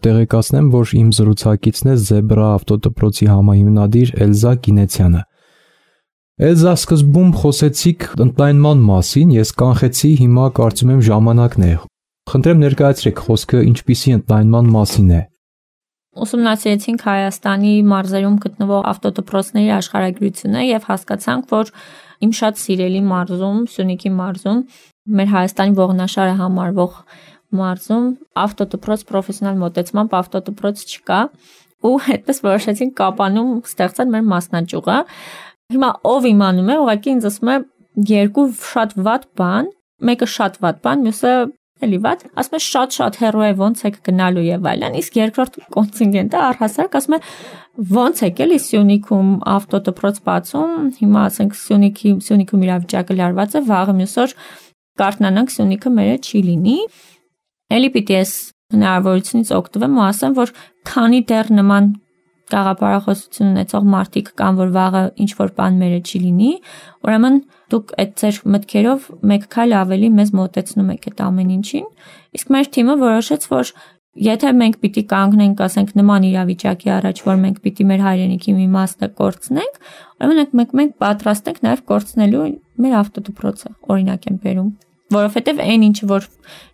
տեղեկացնեմ, որ իմ զրուցակիցն է Զեբրա ավտոդպրոցի համահիմնադիր Էլզա Կինեցյանը։ Էլզա, սկզբում խոսեցիք ընդլայնման մասին, ես կանխեցի, հիմա կարծում եմ ժամանակն է։ Խնդրեմ ներկայացրեք, խոսքը ինչպիսի ընդլայնման մասին է։
Ուսումնասիրեցինք Հայաստանի մարզերում գտնվող ավտոդպրոցների աշխարհագրությունը եւ հասկացանք, որ իմ շատ սիրելի մարզում, Սյունիքի մարզում, մեր Հայաստանի ողնաշարը համարվող մարզում ավտոդպրոց պրոֆեսիոնալ մոտեցմամբ ավտոդպրոց չկա, ու այդպես որոշեցինք Կապանում ստեղծել մեր մասնաճյուղը։ Հիմա ով իմանում է, ուղղակի ինձ ասում է երկու շատ վատ բան, մեկը շատ վատ բան, մյուսը էլի վատ, ասում է շատ հեռու է, ոնց եք գնալու եւ այլն, իսկ երկրորդ կոնտինգենտը առհասարակ ասում է ոնց եք էլի Սյունիքում ավտոդպրոց բացում, հիմա ասենք Սյունիքում իրավիճակը լարված է, վաղը մյուս օր կարթնանանք Սյունիքը մերը չի լինի, էլի պիտի ես հնարավորությունից օգտվեմ ու ասեմ, որ քանի դեռ նման գաղափարախոսություն ունեցող մարդիկ կան, որ վաղը ինչ որ բան մերը չի լինի, ուրեմն դուք այդ ձեր մտքերով մեկ քայլ ավելի մեզ մոտեցնում եք այդ ամեն ինչին, իսկ մեր թիմը որոշեց, որ եթե մենք պիտի կանգնենք, ասենք նման իրավիճակի առաջ, որ մենք պիտի մեր հայրենիքի մի մասը կորցնենք, ուրեմն մենք պատրաստ ենք նաև կորցնելու մեր ավտոդպրոցը, օրինակ եմ բերում, որովհետև այն ինչը որ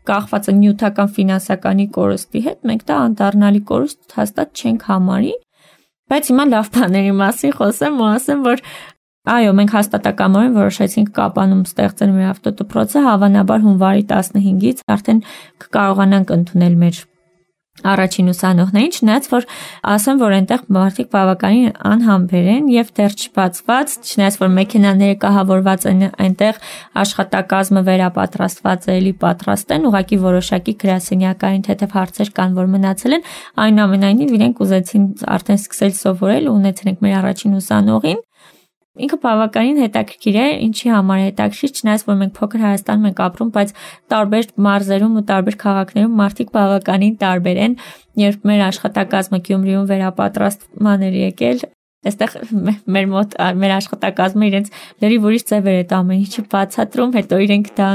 կախված է նյութական ֆինանսականի կորստի հետ, մենք դա անդառնալի կորուստ հաստատ չենք համարի, բայց հիմա լավ բաների մասին խոսեմ ու ասեմ, որ այո, մենք հաստատակամորեն որոշեցինք Կապանում ստեղծել մեր ավտոդպրոցը, հավանաբար հունվարի 15-ից արդեն կկարողանանք ընդունել մեր առաջին ուսանողներին, չնայած որ ասեմ, որ այնտեղ մարդիկ բավականին անհամբեր են եւ դեռ չբացված, չնայած որ մեքենաները կահավորված են այնտեղ, աշխատակազմը վերապատրաստված է, էլի պատրաստ են, ուղղակի որոշակի գրասենյակային թեթև հարցեր կան, որ մնացել են, այնուամենայնիվ իրենք ուզեցին արդեն սկսել սովորել ու ունեցել ենք մեր առաջին ուսանողին։ Ինքը բավականին հետաքրքիր է, ինչի համար է հետաքրքիր, չնայած որ մենք փոքր Հայաստանում ենք ապրում, բայց տարբեր մարզերում ու տարբեր քաղաքներում մարդիկ բավականին տարբեր են, երբ մեր աշխատակազմը Գյումրիում վերապատրաստման էր եկել, այստեղ մեր մոտ մեր աշխատակազմը իրենց լրիվ ուրիշ ձևեր է ամեն ինչը բացատրում, հետո իրենք դա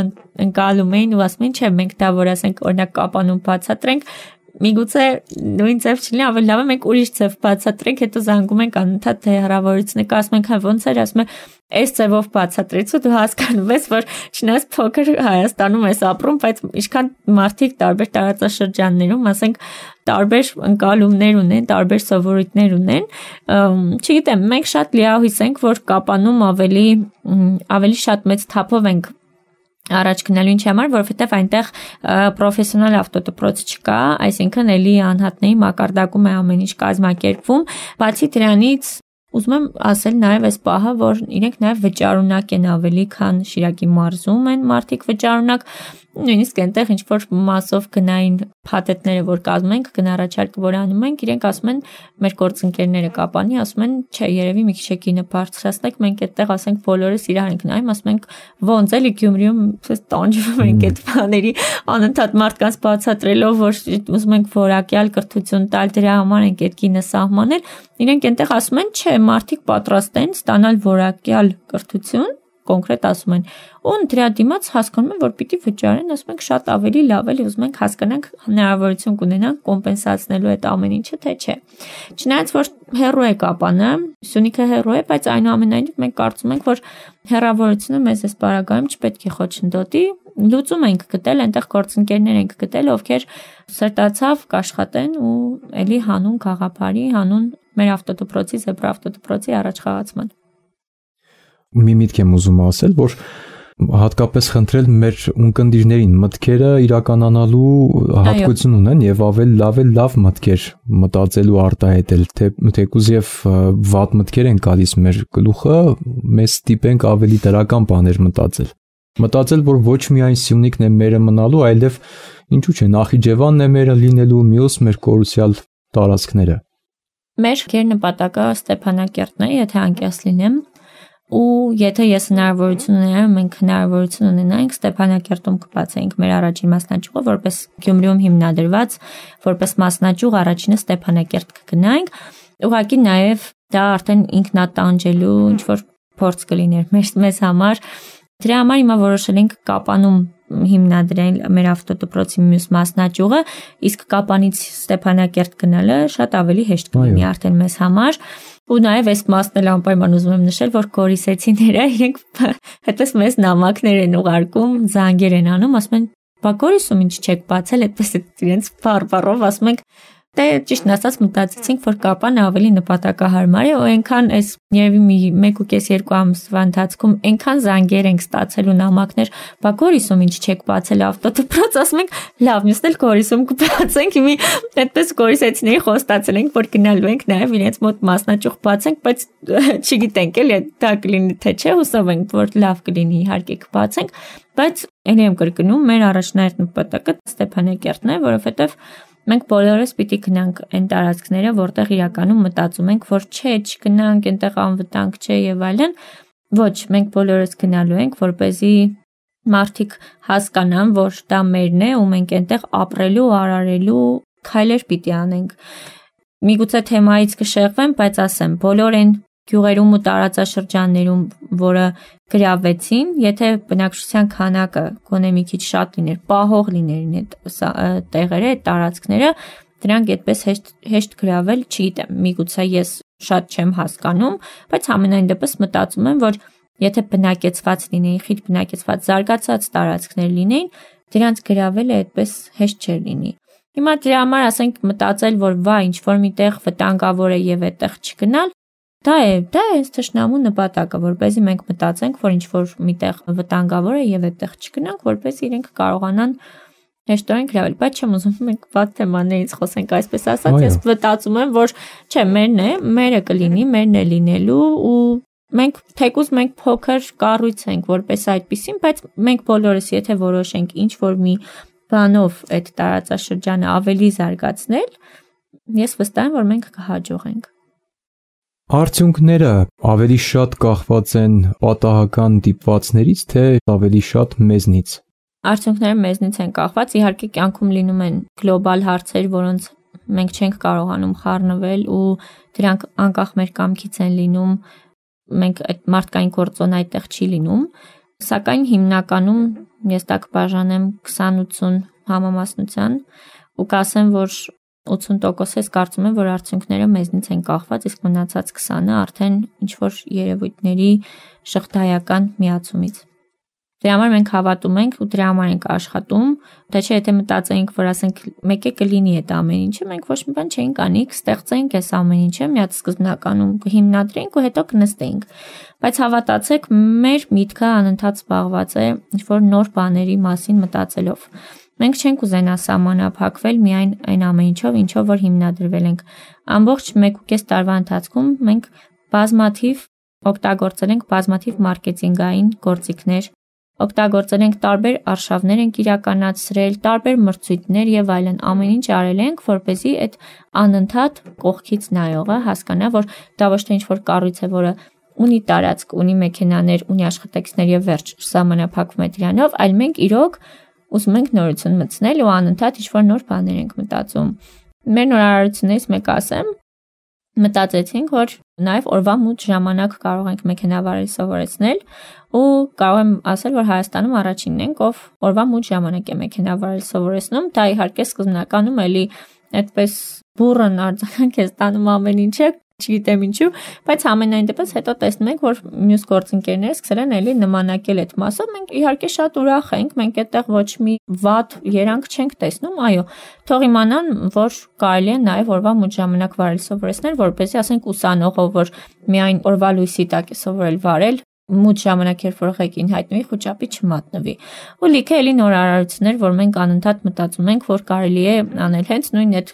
ընկալում էին ու ասում էին, չէ, մենք դա որ ասենք օրինակ Կապանում բացատրենք, միգուցե նույն ձև չլինի, ավելի լավ է մենք ուրիշ ձև բացատրենք, հետո զանգում ենք անընդհատ թե հեռավորությունը կա, ասում ենք, հա ոնց էր, ասում է, այս ձևով բացատրեց ու դու հասկանում ես, որ չնայած փոքր Հայաստանում ես ապրում, բայց ինչքան մարդիկ տարբեր տարածաշրջաններում, ասենք, տարբեր ընկալումներ ունեն, տարբեր սովորույթներ ունեն, չգիտեմ, մենք շատ լիահույս ենք, որ Կապանում ավելի շատ մեծ թափով ենք առաջ գնալու ինչի համար, որովհետև այնտեղ պրոֆեսիոնալ ավտոդպրոց չկա, այսինքն էլի անհատների մակարդակում է ամեն ինչ կազմակերպվում, բացի դրանից ուզում եմ ասել նաև այս պահը, որ իրենք նաև վճարունակ են ավելի, քան Շիրակի մարզում են մարդիկ վճարունակ, նույնիսկ այնտեղ ինչ որ մասով գնային փաթեթները, որ կազմում ենք, գնառաչարկը, որ անում ենք, իրենք ասում են, մեր գործընկերները Կապանի ասում են, չէ, երևի մի քիչ եկի նպարծրացնեք, մենք այդտեղ ասենք բոլորս իրար ենք նայում, ասում ենք, ոնց էլի Գյումրիում տանջվում ենք այդ բաների, անընդհատ մարդկանց բացատրելով, որ ուզում ենք որակյալ կրթություն տալ, դրա համար ենք այդ գինը սահմանել, իրենք այնտեղ ասում են, չէ, մարդիկ պատրաստ են ստանալ որակյալ կրթություն, կոնկրետ ասում են, ու դրա դիմաց հասկանում են, որ պիտի վճարեն, ասում ենք շատ ավելի լավ էլի, ուզում ենք հասկանանք, հնարավորություն կունենանք կոմպենսացնելու այդ ամեն ինչը, թե չէ։ Չնայած որ հեռու է Կապանը, Սյունիքը հեռու է, բայց այնուամենայնիվ մենք կարծում ենք, որ հեռավորությունը մեզ այս պարագայում չպետք է խոչընդոտի, լուծում ենք գտել, այնտեղ գործընկերներ ենք գտել, ովքեր սրտացավ կաշխատեն ու էլի հանուն գաղափարի, հանուն մեր ավտոդպրոցի, Զեբրա ավտոդպրոցի առաջխաղացման։
Մի միտք եմ ուզում ասել, որ հատկապես խնդրել մեր ունկնդիրներին մտքերը իրականանալու հատկություն ունեն եւ ավելի լավ մտքեր մտածելու արտահայտել, թեկուզ եւ վատ մտքեր են գալիս մեր գլուխը, մեզ ստիպենք ավելի դրական բաներ մտածել, որ ոչ միայն Սյունիքն է մերը մնալու, այլև ինչու՞ չէ, Նախիջևանն է մերը լինելու, մյուս մեր կորուսյալ տարածքները։
Մեր նպատակը Ստեփանակերտն է, եթե անկեղծ լինեմ, ու եթե ես հնարավորություն ունենամ, մենք հնարավորություն ունենանք Ստեփանակերտում կբացենք մեր առաջին մասնաճյուղը, որպես Գյումրիում հիմնադրված, որպես մասնաճյուղ առաջինը Ստեփանակերտ կգնանք, ուղղակի նաև դա արդեն ինքնատանջելու ինչ որ փորձ կլիներ մեզ համար։ Դրա համար հիմա որոշել ենք Կապանում հիմնադրել մեր ավտոդպրոցի մյուս մասնաճյուղը, իսկ Կապանից Ստեփանակերտ գնալը շատ ավելի հեշտ կլինի արդեն մեզ համար։ Ու նաև այս մասն էլ անպայման ուզում եմ նշել, որ կորիսեցիները իրենք հետպես մեզ նամակներ են ուղարկում, զանգեր են անում, ասում են, բա Գորիսում ինչ չեք բացել, այդպես իրենց բառով ասում ենք, դե ճիշտն ասած մտածեցինք, որ Կապանը ավելի նպատակահարմար է, ու այնքան այս երևի 1.5-2 ամսվա ընթացքում այնքան զանգեր ենք ստացել ու նամակներ, բա Գորիսում ինչ չեք բացել ավտոդպրոց, ասում ենք, լավ, մյուսն էլ Գորիսում կբացենք, հիմի այդպես գորիսեցիների խոստացել ենք, որ գնալու ենք նաև իրենց մոտ մասնաճյուղ բացենք, բայց չգիտենք էլի դա կլինի թե չէ, հուսով ենք, որ լավ կլինի, իհարկե կբացենք, բայց ելի եմ կրկնում, մեր առաջնահերթ նպատակը Ստեփանակերտն է, որովհետև մենք բոլորս պիտի գնանք այն տարածքները, որտեղ իրականում մտածում ենք, որ չէ, չգնանք, այնտեղ անվտանգ չէ եւ այլն։ Ոչ, մենք բոլորս գնալու ենք, որպեսզի մարդիկ հասկանան, որ դա մերն է ու մենք այնտեղ ապրելու, արարելու քայլեր պիտի անենք։ Միգուցե թեմայից կշեղվեմ, բայց ասեմ, բոլոր այն գյուղերում ու տարածաշրջաններում, որը գրավեցին, եթե բնակչության քանակը գոնե մի քիչ շատ լիներ, պահող լիներին այդ տեղերը, այդ տարածքները, դրանք այդպես հեշտ գրավել, չգիտեմ, միգուցե ես շատ չեմ հասկանում, բայց ամենայն դեպս մտածում եմ, որ եթե բնակեցված լինեին, խիտ բնակեցված զարգացած տարածքներ լինեին, դրանց գրավելը այդպես հեշտ չէր լինի։ Հիմա դրա համար ասենք մտածել, որ վա ինչ որ միտեղ վտանգավոր է եւ այդտեղ չգնալ, դա է այս թշնամու նպատակը, որպեսզի մենք մտածենք, որ ինչ որ միտեղ վտանգավոր է եւ այդտեղ չգնանք, որպեսզի իրենք կարողանան հեշտորեն գրավել, բայց չեմ ուզում մենք վատ թեմաներից խոսենք, այսպես ասած, ես մտածում եմ, որ չէ, մերն է, մերը կլինի, մերն է լինելու ու մենք թեկուզ մենք փոքր կառույց ենք, որպես այդպեսին, բայց մենք բոլորս եթե որոշենք ինչ որ մի բանով այդ տարածաշրջանը ավելի զարգացնել, ես վստահ եմ, որ մենք կհաջողենք։
Արդյունքները ավելի շատ կախված են պատահական դիպվածներից, թե ավելի շատ մեզնից։
Արդյունքները մեզնից են կախված, իհարկե կյանքում լինում են գլոբալ հարցեր, որոնց մենք չենք կարողանում խառնվել ու դրանք անկախ մեր կամքից են լինում, մենք այդ մարդկային գործոն այդտեղ չի լինում, սակայն հիմնականում ես դա կբաժանեմ 20-80 համամասնության ու կասեմ, որ 80% ես կարծում եմ, որ արդյունքները մեզնից են կախված, իսկ մնացած 20%-ը արդեն ինչ-որ երևույթների շղթայական միացումից։ Դրա համար մենք հավատում ենք ու դրա համար ենք աշխատում, դա չէ, եթե մտածեինք, որ ասենք մեկ է կլինի այդ ամեն ինչը, մենք ոչ մի բան չէինք անի, կստեղծեինք այս ամեն ինչը, միած սկզբնականում կհիմնադրեինք ու հետո կնստեինք։ Բայց հավատացեք, մեր միտքը անընդհատ զբաղված է ինչ-որ նոր բաների մասին մտածելով։ Մենք չենք ուզենա սահմանափակվել միայն այն ամեն ինչով, որ հիմնադրվել ենք։ Ամբողջ 1.5 տարվա ընթացքում մենք բազմաթիվ օգտագործել ենք բազմաթիվ մարքեթինգային գործիքներ, օգտագործել ենք տարբեր արշավներ ենք իրականացրել, տարբեր մրցույթներ եւ այլն, ամեն ինչ արել ենք, որպեսզի այդ անընդհատ կողքից նայողը հասկանա, որ դա ոչ թե ինչ-որ կառույց է, որը ունի տարածք, ունի մեքենաներ, ունի աշխատակիցներ եւ վերջ, սահմանափակվում է դրանով, այլ մենք իրոք ուզում ենք նորություն մտցնել ու անընդհատ ինչ-որ նոր բաներ ենք մտածում։ Մեր նորարարություններից մեկը ասեմ, մտածեցինք, որ նաև օրվա մութ ժամանակ կարող ենք մեքենավարել սովորեցնել ու կարող եմ ասել, որ Հայաստանում առաջինն ենք, ով օրվա մութ ժամանակ է մեքենավարել սովորեցնում, դա իհարկե սկզբնականում էլի այդպես բուրըն արձագանք է ստանում ամեն ինչը, չգիտեմ ինչու, բայց ամենայն դեպս հետո տեսնում ենք, որ մյուս գործընկերները սկսել են էլի նմանակել այդ մասով, մենք իհարկե շատ ուրախ ենք, մենք այդտեղ ոչ մի վատ երանգ չենք տեսնում, այո, թող իմանան, որ կարելի է նաև օրվա մութ ժամանակ վարել սովորեցնել, որպեսզի ասենք ուսանողով, որ միայն օրվա լույսի տակ է սովորել վարել, մութ ժամանակ երբ որ ղեկին հայտնվի, խոճապի չմատնվի։ Ու լիքը էլի նորարարություններ, որ մենք անընդհատ մտածում ենք, որ կարելի է անել հենց նույն այդ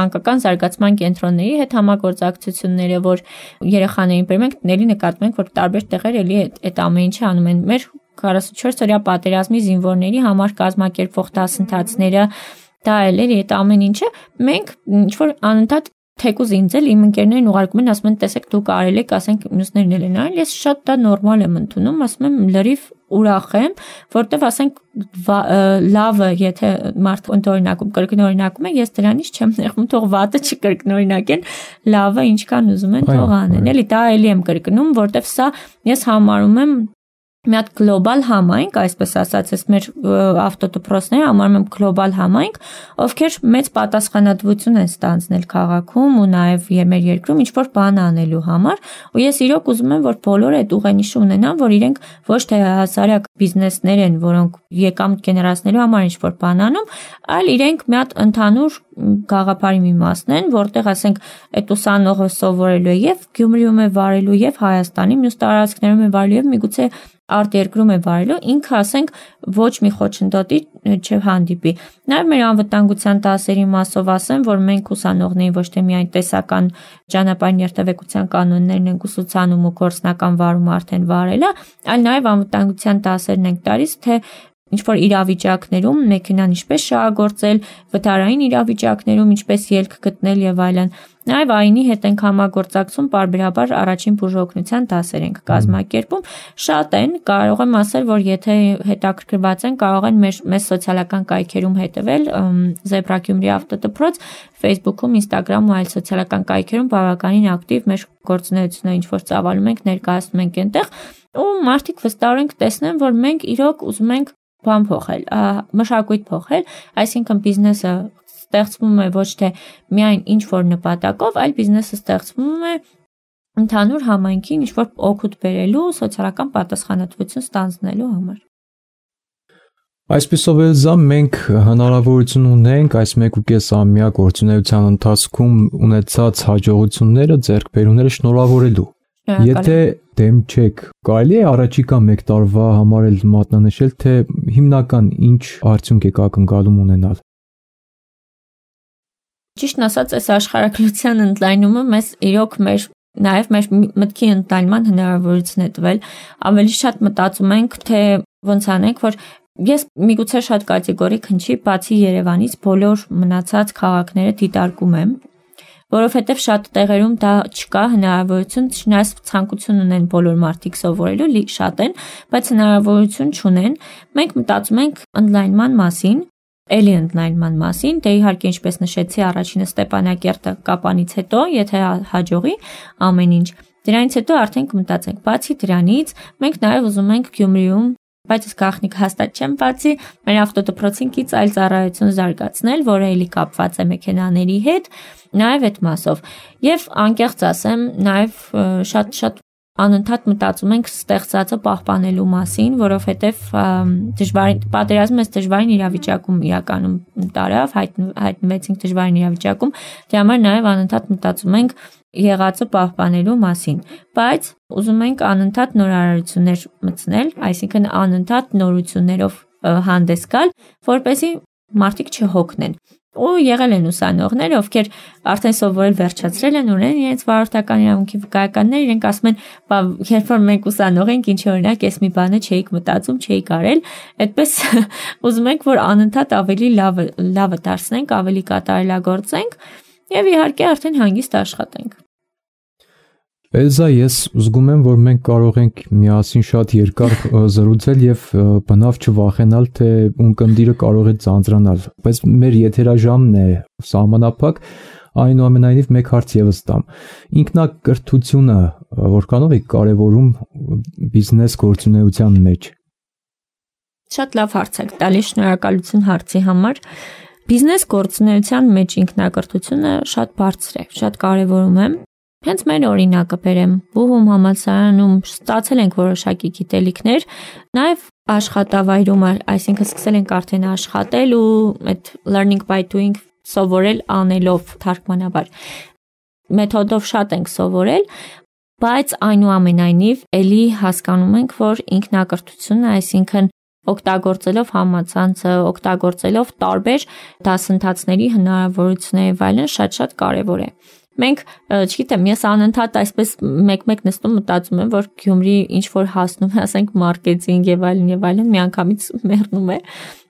մանկական զարգացման կենտրոնների հետ համագործակցությունները, որ երեխաներին բերում ենք, էլի նկատում ենք, որ տարբեր տեղեր էլի այդ ամեն ինչը անում են։ Մեր 44 օրյա պատերազմի զինվորների համար կազմակերպվող դասընթացները, դա էլի այդ ամեն ինչը մենք ինչ որ անընդհատ թեկուզ ինձ էլ իմ ընկերներն ուղարկում են, ասում են, տեսեք դուք արել եք, ասենք մյուսներն էլ են արել, ես շատ դա նորմալ եմ ընդունում, ասում եմ լրիվ ուրախ եմ, որտեվ ասենք լավը, եթե մարդ ընդօրինակում կրկնօրինակում է, ես դրանից չեմ նեղվում, թող վատը չկրկնօրինակեն, լավը ինչքան ուզում են թող անեն, էլի դա էլի եմ կրկնում, որտեվ սա ես համարում եմ մի հատ գլոբալ համայնք, այսպես ասած, ես մեր ավտոդպրոցները համարում եմ գլոբալ համայնք, ովքեր մեծ պատասխանատվություն են ստանձնել քաղաքում ու նաև մեր երկրում ինչ-որ բան անելու համար, ու ես իրոք ուզում եմ, որ բոլորը այդ ուղենիշը ունենան, որ իրենք ոչ թե հասարակ բիզնեսներ են, որոնք եկամուտ գեներացնելու համար ինչ-որ բան անում, այլ իրենք մի հատ ընդհանուր գաղափարի մի մասն են, որտեղ ասենք այդ ուսանողը սովորելու է եւ Գյումրիում է վարելու եւ Հայաստանի մյուս տարածքներում է վարելու եւ միգուցե արտերկրում է վարելու, ինքը ասենք ոչ մի խոչընդոտի չհանդիպի։ Նաև մեր անվտանգության դասերի մասով ասեմ, որ մենք ուսանողներին ոչ թե միայն տեսական ճանապարհային երթևեկության կանոններն ենք ուսուցանում ու գործնական վարում արդեն վարելը, այլ նաև անվտանգության դասերն ենք տալիս, թե ինչ-որ իրավիճակներում մեքենան ինչպես շահագործել, վթարային իրավիճակներում ինչպես ելք գտնել եւ այլն։ Նաև այնի հետ ենք համագործակցում, պարբերաբար առաջին բուժօգնության դասեր ենք կազմակերպում։ Շատ են, կարող եմ ասել, որ եթե հետաքրքրված են, կարող են մեզ սոցիալական կայքերում հետևել, Zebra Gyumri ավտոդպրոց, Facebook-ում, Instagram ու այլ սոցիալական կայքերում բավականին ակտիվ մեր գործունեությունը ինչ-որ ծավալում ենք, ներկայացնում ենք այնտեղ, ու մարդիկ վստահորեն կտեսնեն, որ մենք իրոք ուզում ենք բան փոխել, մշակույթ փոխել, այսինքն բիզնեսը ստեղծվում է ոչ թե միայն ինչ-որ նպատակով, այլ բիզնեսը ստեղծվում է ընդհանուր համայնքին ինչ-որ օգուտ բերելու, սոցիալական պատասխանատվություն ստանձնելու համար։
Այսպիսով Էլզա, մենք հնարավորություն ունենք այս 1.5 ամյա գործունեության ընթացքում ունեցած հաջողությունները, ձեռքբերումները շնորհավորելու։ Եթե դեմ չեք, կարելի է առաջիկա 1 տարվա համար էլ մատնանշել, թե հիմնական ինչ արդյունք եք ակնկալում ունենալ։
Ճիշտն ասած, այս աշխարհագրության ընդլայնումը մեզ իրոք նաև մեր մտքի ընդլայնման հնարավորություն է տվել։ Ավելի շատ մտածում ենք, թե ոնց անենք, որ ես միգուցե շատ կատեգորիկ հնչի, բացի Երևանից բոլոր մնացած քաղաքները դիտարկում եմ, որովհետև շատ տեղերում դա չկա հնարավորություն, չնայած ցանկություն ունեն բոլոր մարդիկ սովորելու, շատ են, բայց հնարավորություն չունեն։ Մենք մտածում ենք ընդլայնման մասին, էլի ընդլայնման մասին, դե իհարկե ինչպես նշեցի, առաջինը Ստեփանակերտը Կապանից հետո, եթե հաջողի ամեն ինչ։ Դրանից հետո արդեն կմտածենք, բացի դրանից, մենք նաև ուզում ենք Գյումրիում բայց ես գաղտնիք հաստատ չեմ բացի, մեր ավտոդպրոցինքից այլ ծառայություն զարգացնել, որը էլի կապված է մեքենաների հետ, նաև այդ մասով։ Եվ անկեղծ ասեմ, նաև շատ անընդհատ մտածում ենք ստեղծածը պահպանելու մասին, որովհետև պատերազմը դժվարին իրավիճակում իրականում տարավ, հայտնվեցինք դժվարին իրավիճակում, դրա համար նաև անընդհատ մտածում ենք եղածը պահպանելու մասին, բայց ուզում ենք անընդհատ նորարարություններ մտցնել, այսինքն անընդհատ նորություններով հանդես գալ, որպեսզի մարդիկ չհոգնեն։ Ու եղել են ուսանողներ, ովքեր արդեն սովորել վերջացրել են, ունեն իրենց վարորդական իրավունքի վկայականներ, իրենք ասում են, երբ որ մենք ուսանող ենք, ինչ օրինակ, ես մի բանը չէիք մտածում, չէիք արել, այդպես ուզում ենք, որ անընդհատ ավելի լավը դարձնենք, ավելի կատարելագործենք եւ իհարկե արդեն հանգիստ աշխատենք։
Էլզա, ես զգում եմ, որ մենք կարող ենք միասին շատ երկար զրուցել եւ բնավ չվախենալ, թե ունկնդիրը կարող է ձանձրանալ, բայց մեր եթերաժամն է սահմանափակ, այնուամենայնիվ մեկ հարց եւս տամ։ Ինքնակրթությունը որքանով է կարեւորում բիզնես գործունեության մեջ։
Շատ լավ հարց եք տալի, շնորհակալություն հարցի համար։ Բիզնես գործունեության մեջ ինքնակրթությունը շատ բարձր է, շատ կարեւորում է։ Հենց մեր օրինակը բերեմ, Բուհում համալսարանում ստացել ենք որոշակի գիտելիքներ, նաև աշխատավայրում, այսինքն սկսել ենք արդեն աշխատել ու այդ learning by doing սովորել անելով թարգմանաբար։ Մեթոդով շատ ենք սովորել, բայց այնուամենայնիվ էլի հասկանում ենք, որ ինքնակրթությունը, այսինքն օգտագործելով համացանցը, օգտագործելով տարբեր դասընթացների հնարավորությունները եւ այլն շատ կարեւոր է։ Մենք, չգիտեմ, ես անընդհատ այսպես մեկ-մեկ նստում մտածում եմ, որ Գյումրի ինչ որ հասնում է, ասենք մարքեթինգ եւ այլն, միանգամից մեռնում է,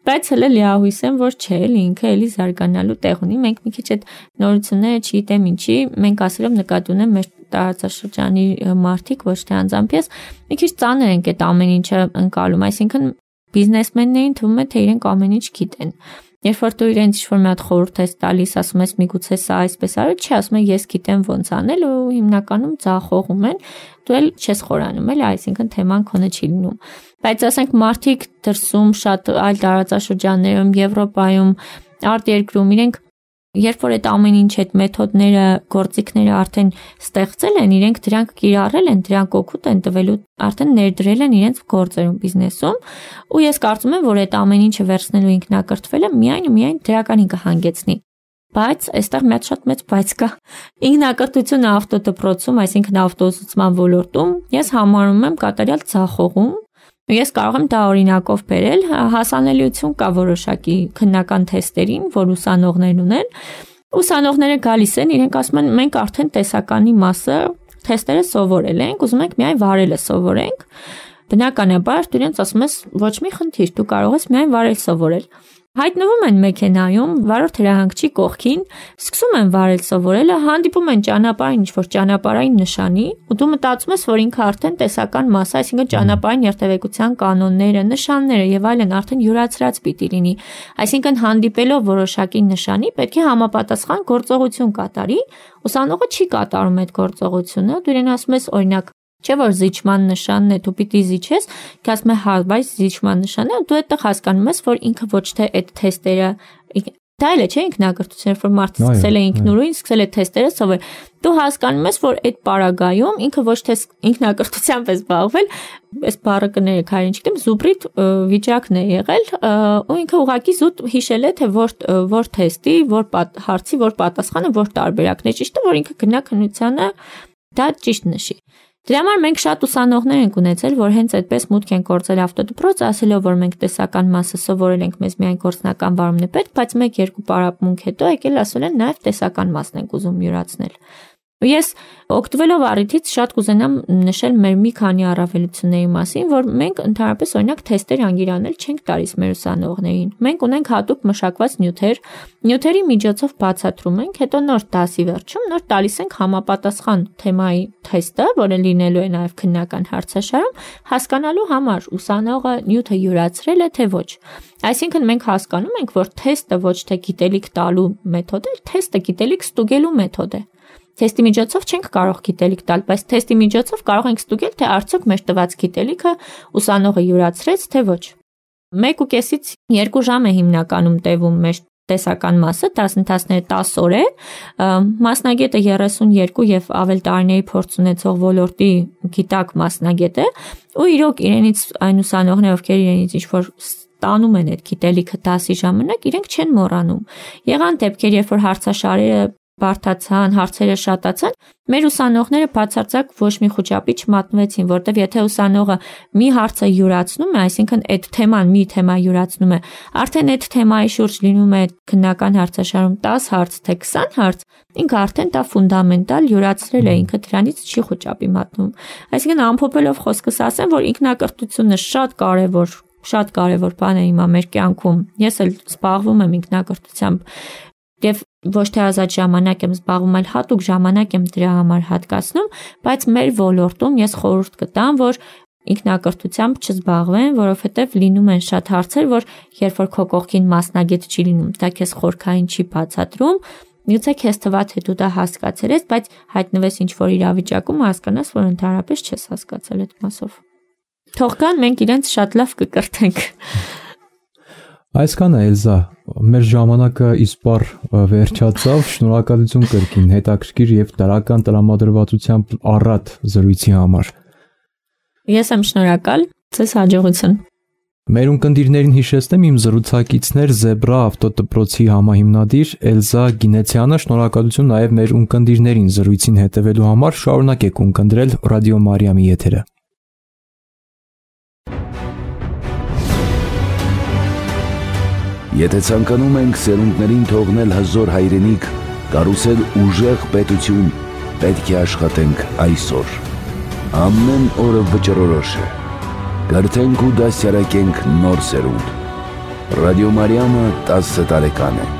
բայց հələ լիահույս եմ, որ չէ, ինքը էլի զարգանալու տեղ ունի։ Մենք մի քիչ այդ նորությունները չգիտեմ ինչի, մենք ասելով նկատի ունեմ մեր տարածաշրջանի մարդիկ, ոչ թե անձամբ ես, մի քիչ ծանր ենք այդ ամեն ինչը ընկալում, այսինքն բիզնեսմեններին թվում է, թե իրենք ամեն ինչ գիտեն։ Երբ որ դու իրենց ինչ-որ մի հատ խորհուրդ ես տալիս, ասում ես միգուցե սա այսպես արի, չի, ասում են ես գիտեմ ոնց անել ու հիմնականում ձախողում են, դու էլ չես խորանում, էլի, այսինքն թեման քոնը չի լինում։ Բայց ասենք մարդիկ դրսում շատ այլ տարածաշրջաններում, Եվրոպայում, արտերկրում իրենք երբ որ այդ ամեն ինչ այդ մեթոդները, գործիքները արդեն ստեղծել են, իրենք դրանք կիրառել են, դրանք օգուտ են տվելու, արդեն ներդրել են իրենց գործերում, բիզնեսում, ու ես կարծում եմ, որ այդ ամեն ինչը վերցնելու ինքնակրթվելը միայն դրականին կհանգեցնի։ Բայց այստեղ մի հատ շատ մեծ բայց կա։ Ինքնակրթությունը ավտոդպրոցում, այսինքն ավտոուսուցման ոլորտում, ես համարում եմ կատարյալ ձախողում։ Ես կարող եմ դա օրինակով բերել, հասանելիություն կա որոշակի քննական թեստերին, որ ուսանողներն ունեն։ Ուսանողները գալիս են, իրենք ասում են, մենք արդեն տեսականի մասը թեստերը սովորել ենք, ուզում ենք միայն վարելը սովորենք։ Բնականաբար դու իրենց ասում ես, ոչ մի խնդիր, դու կարող ես միայն վարել սովորել։ Հայտնվում են մեքենայում, վարորդ հրահանգչի կողքին, սկսում են վարել սովորելը, հանդիպում են ճանապարհին ինչ-որ ճանապարհային նշանի, ու դու մտածում ես, որ ինքը արդեն տեսական մաս, այսինքն ճանապարհային երթևեկության կանոնները, նշանները եւ այլն արդեն յուրացրած պիտի լինի։ Այսինքն հանդիպելով որոշակի նշանի, պետք է համապատասխան գործողություն կատարի, ուսանողը չի կատարում այդ գործողությունը, դու իրեն ասում ես օրինակ Չէ որ զիջման նշանն է, դու պիտի զիջես, ասում է հա, բայց զիջման նշանն է, դու այդտեղ հասկանում ես, որ ինքը ոչ թե այդ թեստերը, դա էլ է, չէ, ինքնակրթություն, որ մարդը սկսել է ինքնուրույն, սկսել է թեստերը սովորել։ Դու հասկանում ես, որ այդ պարագայում ինքը ոչ թե ինքնակրթությամբ է զբաղվել, այս բառը կներեք, հայերեն չգիտեմ, զուբրիտ վիճակն է եղել, ու ինքը ուղղակի զուտ հիշել է, թե որ թեստի, որ հարցի, որ պատասխանը, որ տարբերակն է, ճիշտ է, որ ինքը գնա քննությանը դա ճիշտ նշի։ Դրա համար մենք շատ ուսանողներ ենք ունեցել, որ հենց այդպես մուտք են կորցրել ավտոդպրոց, ասելով, որ մենք տեսական մասը սովորել ենք, մեզ միայն գործնական վարումն է պետք, բայց 1-2 պարապմունք հետո եկել ասել են նաև տեսական մասն ենք ուզում յուրացնել։ Ես օգտվելով առիթից շատ կուզենամ նշել մեր մի քանի առավելությունների մասին, որ մենք ընդհանրապես օրինակ թեստեր անգիրանել չենք տալիս մեր ուսանողներին։ Մենք ունենք հատուկ մշակված նյութեր, նյութերի միջոցով բացատրում ենք, հետո նոր դասի վերջում նոր տալիս ենք համապատասխան թեմայի թեստը, որը լինելու է նաև քննական հարցաշարում, հասկանալու համար ուսանողը նյութը յուրացրել է թե ոչ։ Այսինքն մենք հասկանում ենք, որ թեստը ոչ թե գիտելիք տալու մեթոդ է, թեստը գիտելիք ստուգելու մեթոդ է։ թեստի միջոցով չենք կարող գիտելիք տալ, բայց թեստի միջոցով կարող ենք ստուգել, թե արդյոք մեր տված գիտելիքը ուսանողը յուրացրեց, թե ոչ։ 1.5-ից 2 ժամ է հիմնականում տևում մեր տեսական մասը, դասընթացները 10 օր է, մասնագետը 32 եւ ավել տարիների փորձ ունեցող ոլորտի գիտակ մասնագետ է, ու իրոք իրենից այն ուսանողները, ովքեր իրենից ինչ-որ տանում են այդ գիտելիքը դասի ժամանակ, իրենք չեն մոռանում։ Եղան դեպքեր, երբ որ հարցաշարերը բարդացան, հարցերը շատացան, մեր ուսանողները բացարձակ ոչ մի խոճապի չմատնվեցին, որտեվ եթե ուսանողը մի հարցը յուրացնում է, այսինքն այդ թեման մի թեմա յուրացնում է, արդեն այդ թեմայի շուրջ լինում է քննական հարցաշարում 10 հարց, թե 20 հարց, ինքը արդեն դա ֆունդամենտալ յուրացրել է, ինքը դրանից չի խոճապի մատնում։ Այսինքն ամփոփելով խոսքս ասեմ, որ ինքնակրթությունը շատ կարևոր բան է հիմա մեր կյանքում։ Ես էլ զբաղվում եմ ինքնակրթությամբ եւ ոչ թե ազատ ժամանակ եմ զբաղվում, այլ հատուկ ժամանակ եմ դրա համար հատկացնում, բայց մեր ոլորտում ես խորհուրդ կտամ, որ ինքնակրթությամբ չզբաղվեն, որովհետեւ լինում են շատ հարցեր, որ երբ որ քո կողքին մասնագետ չի լինում, դա քեզ խորքային չի բացատրում, միգուցե քեզ թվա թե դու դա հասկացել ես, բայց հայտնվես ինչ-որ իրավիճակում հասկանաս, որ ընդհանրապես չես հասկացել այդ մասով։ Թող կան, մենք իրենց շատ լավ կկրթենք։
Այսքան է, Էլզա, մեր ժամանակը իսպառ վերջացավ, շնորհակալություն կրկին հետաքրքիր եւ դրական տրամադրվածությամբ առատ զրույցի համար։
Ես եմ շնորհակալ, ձեզ հաջողություն։
Մեր ունկնդիրներին հիշեցնեմ իմ զրուցակիցներ Զեբրա ավտոդպրոցի համահիմնադիր Էլզա Գինեցյանը, շնորհակալություն նաեւ մեր ունկնդիրներին զրույցին հետևելու համար, շարունակեք ունկնդրել Ռադիո Մարիամի եթերը։
Եթե ցանկանում ենք սերունդներին թողնել հզոր հայրենիք, կառուցել ուժեղ պետություն, պետք է աշխատենք այսօր։ Ամեն օրը վճռորոշ է։ Կրթենք ու դասյարակենք նոր սերունդ։ Ռադիո Մարիամը 10 տարեկան է։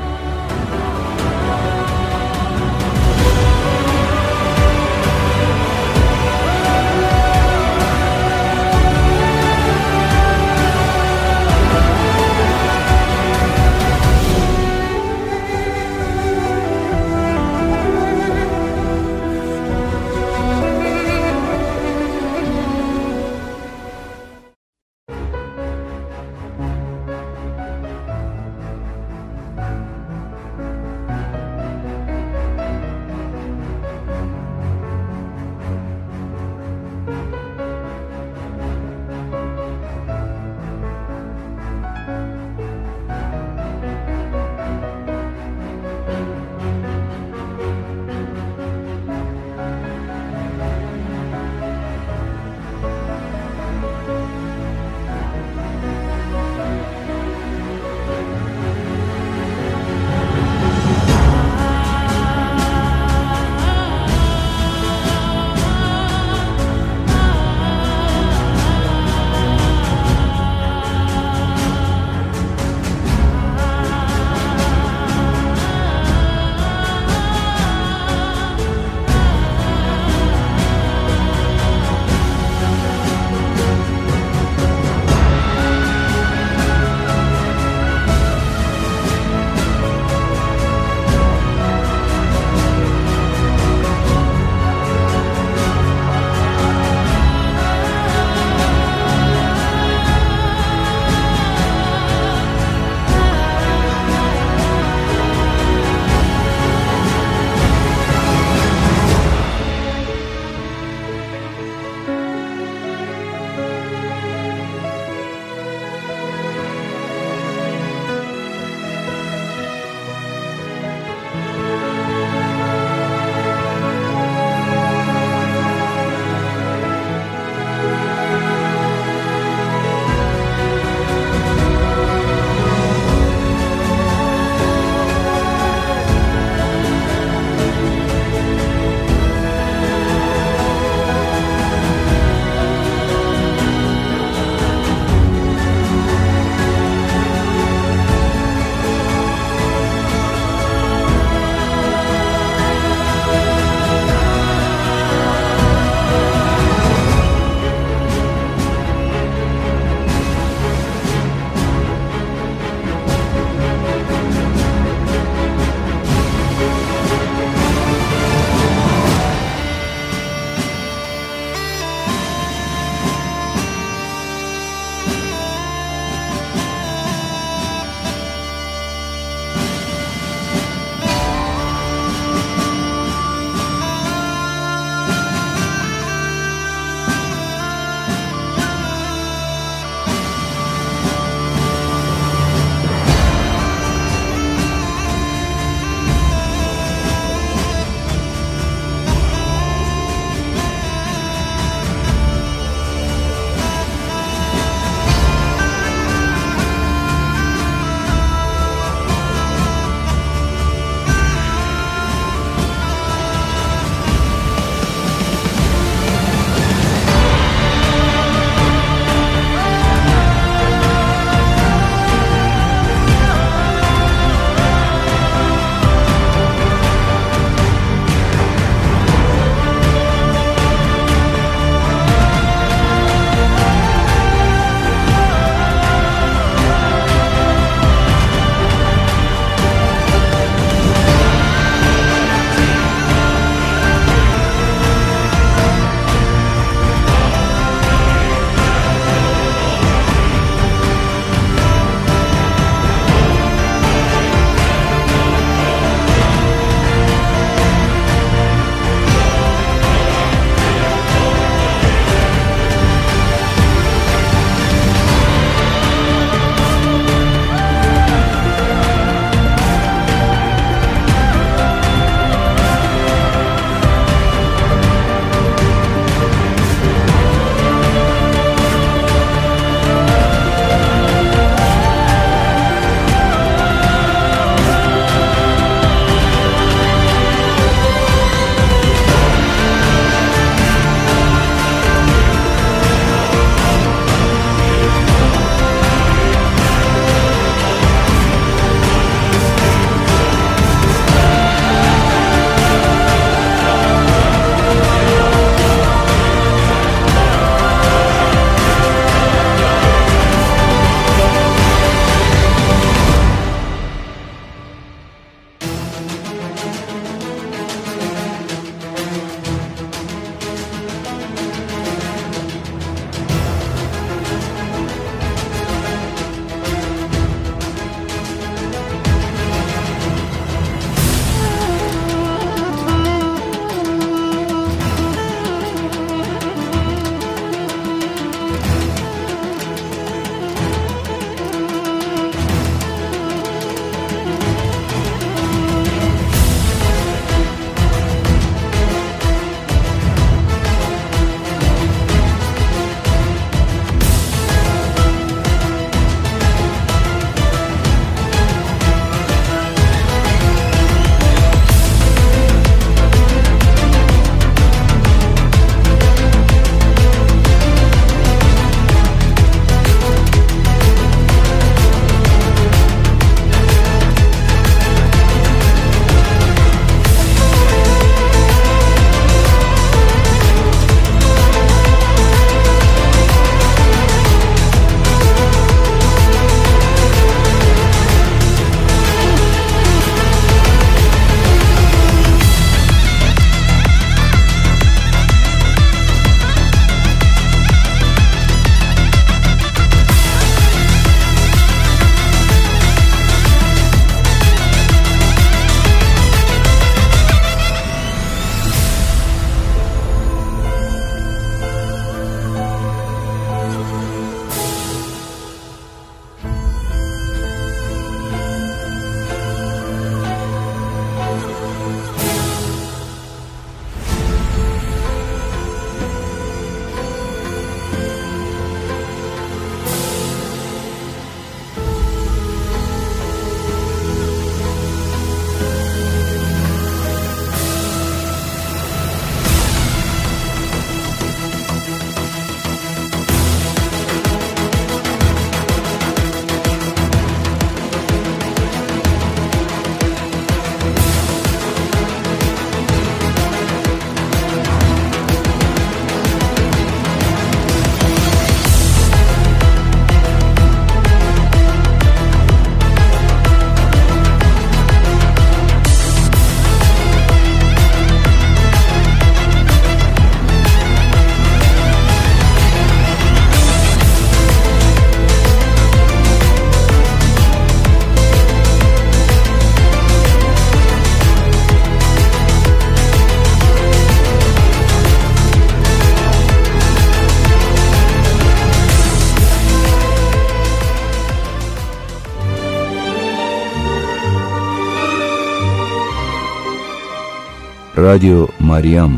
Ռադիո Մարիամ։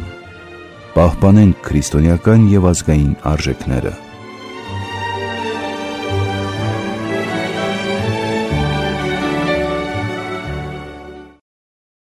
Պահպանենք քրիստոնեական եւ ազգային արժեքները։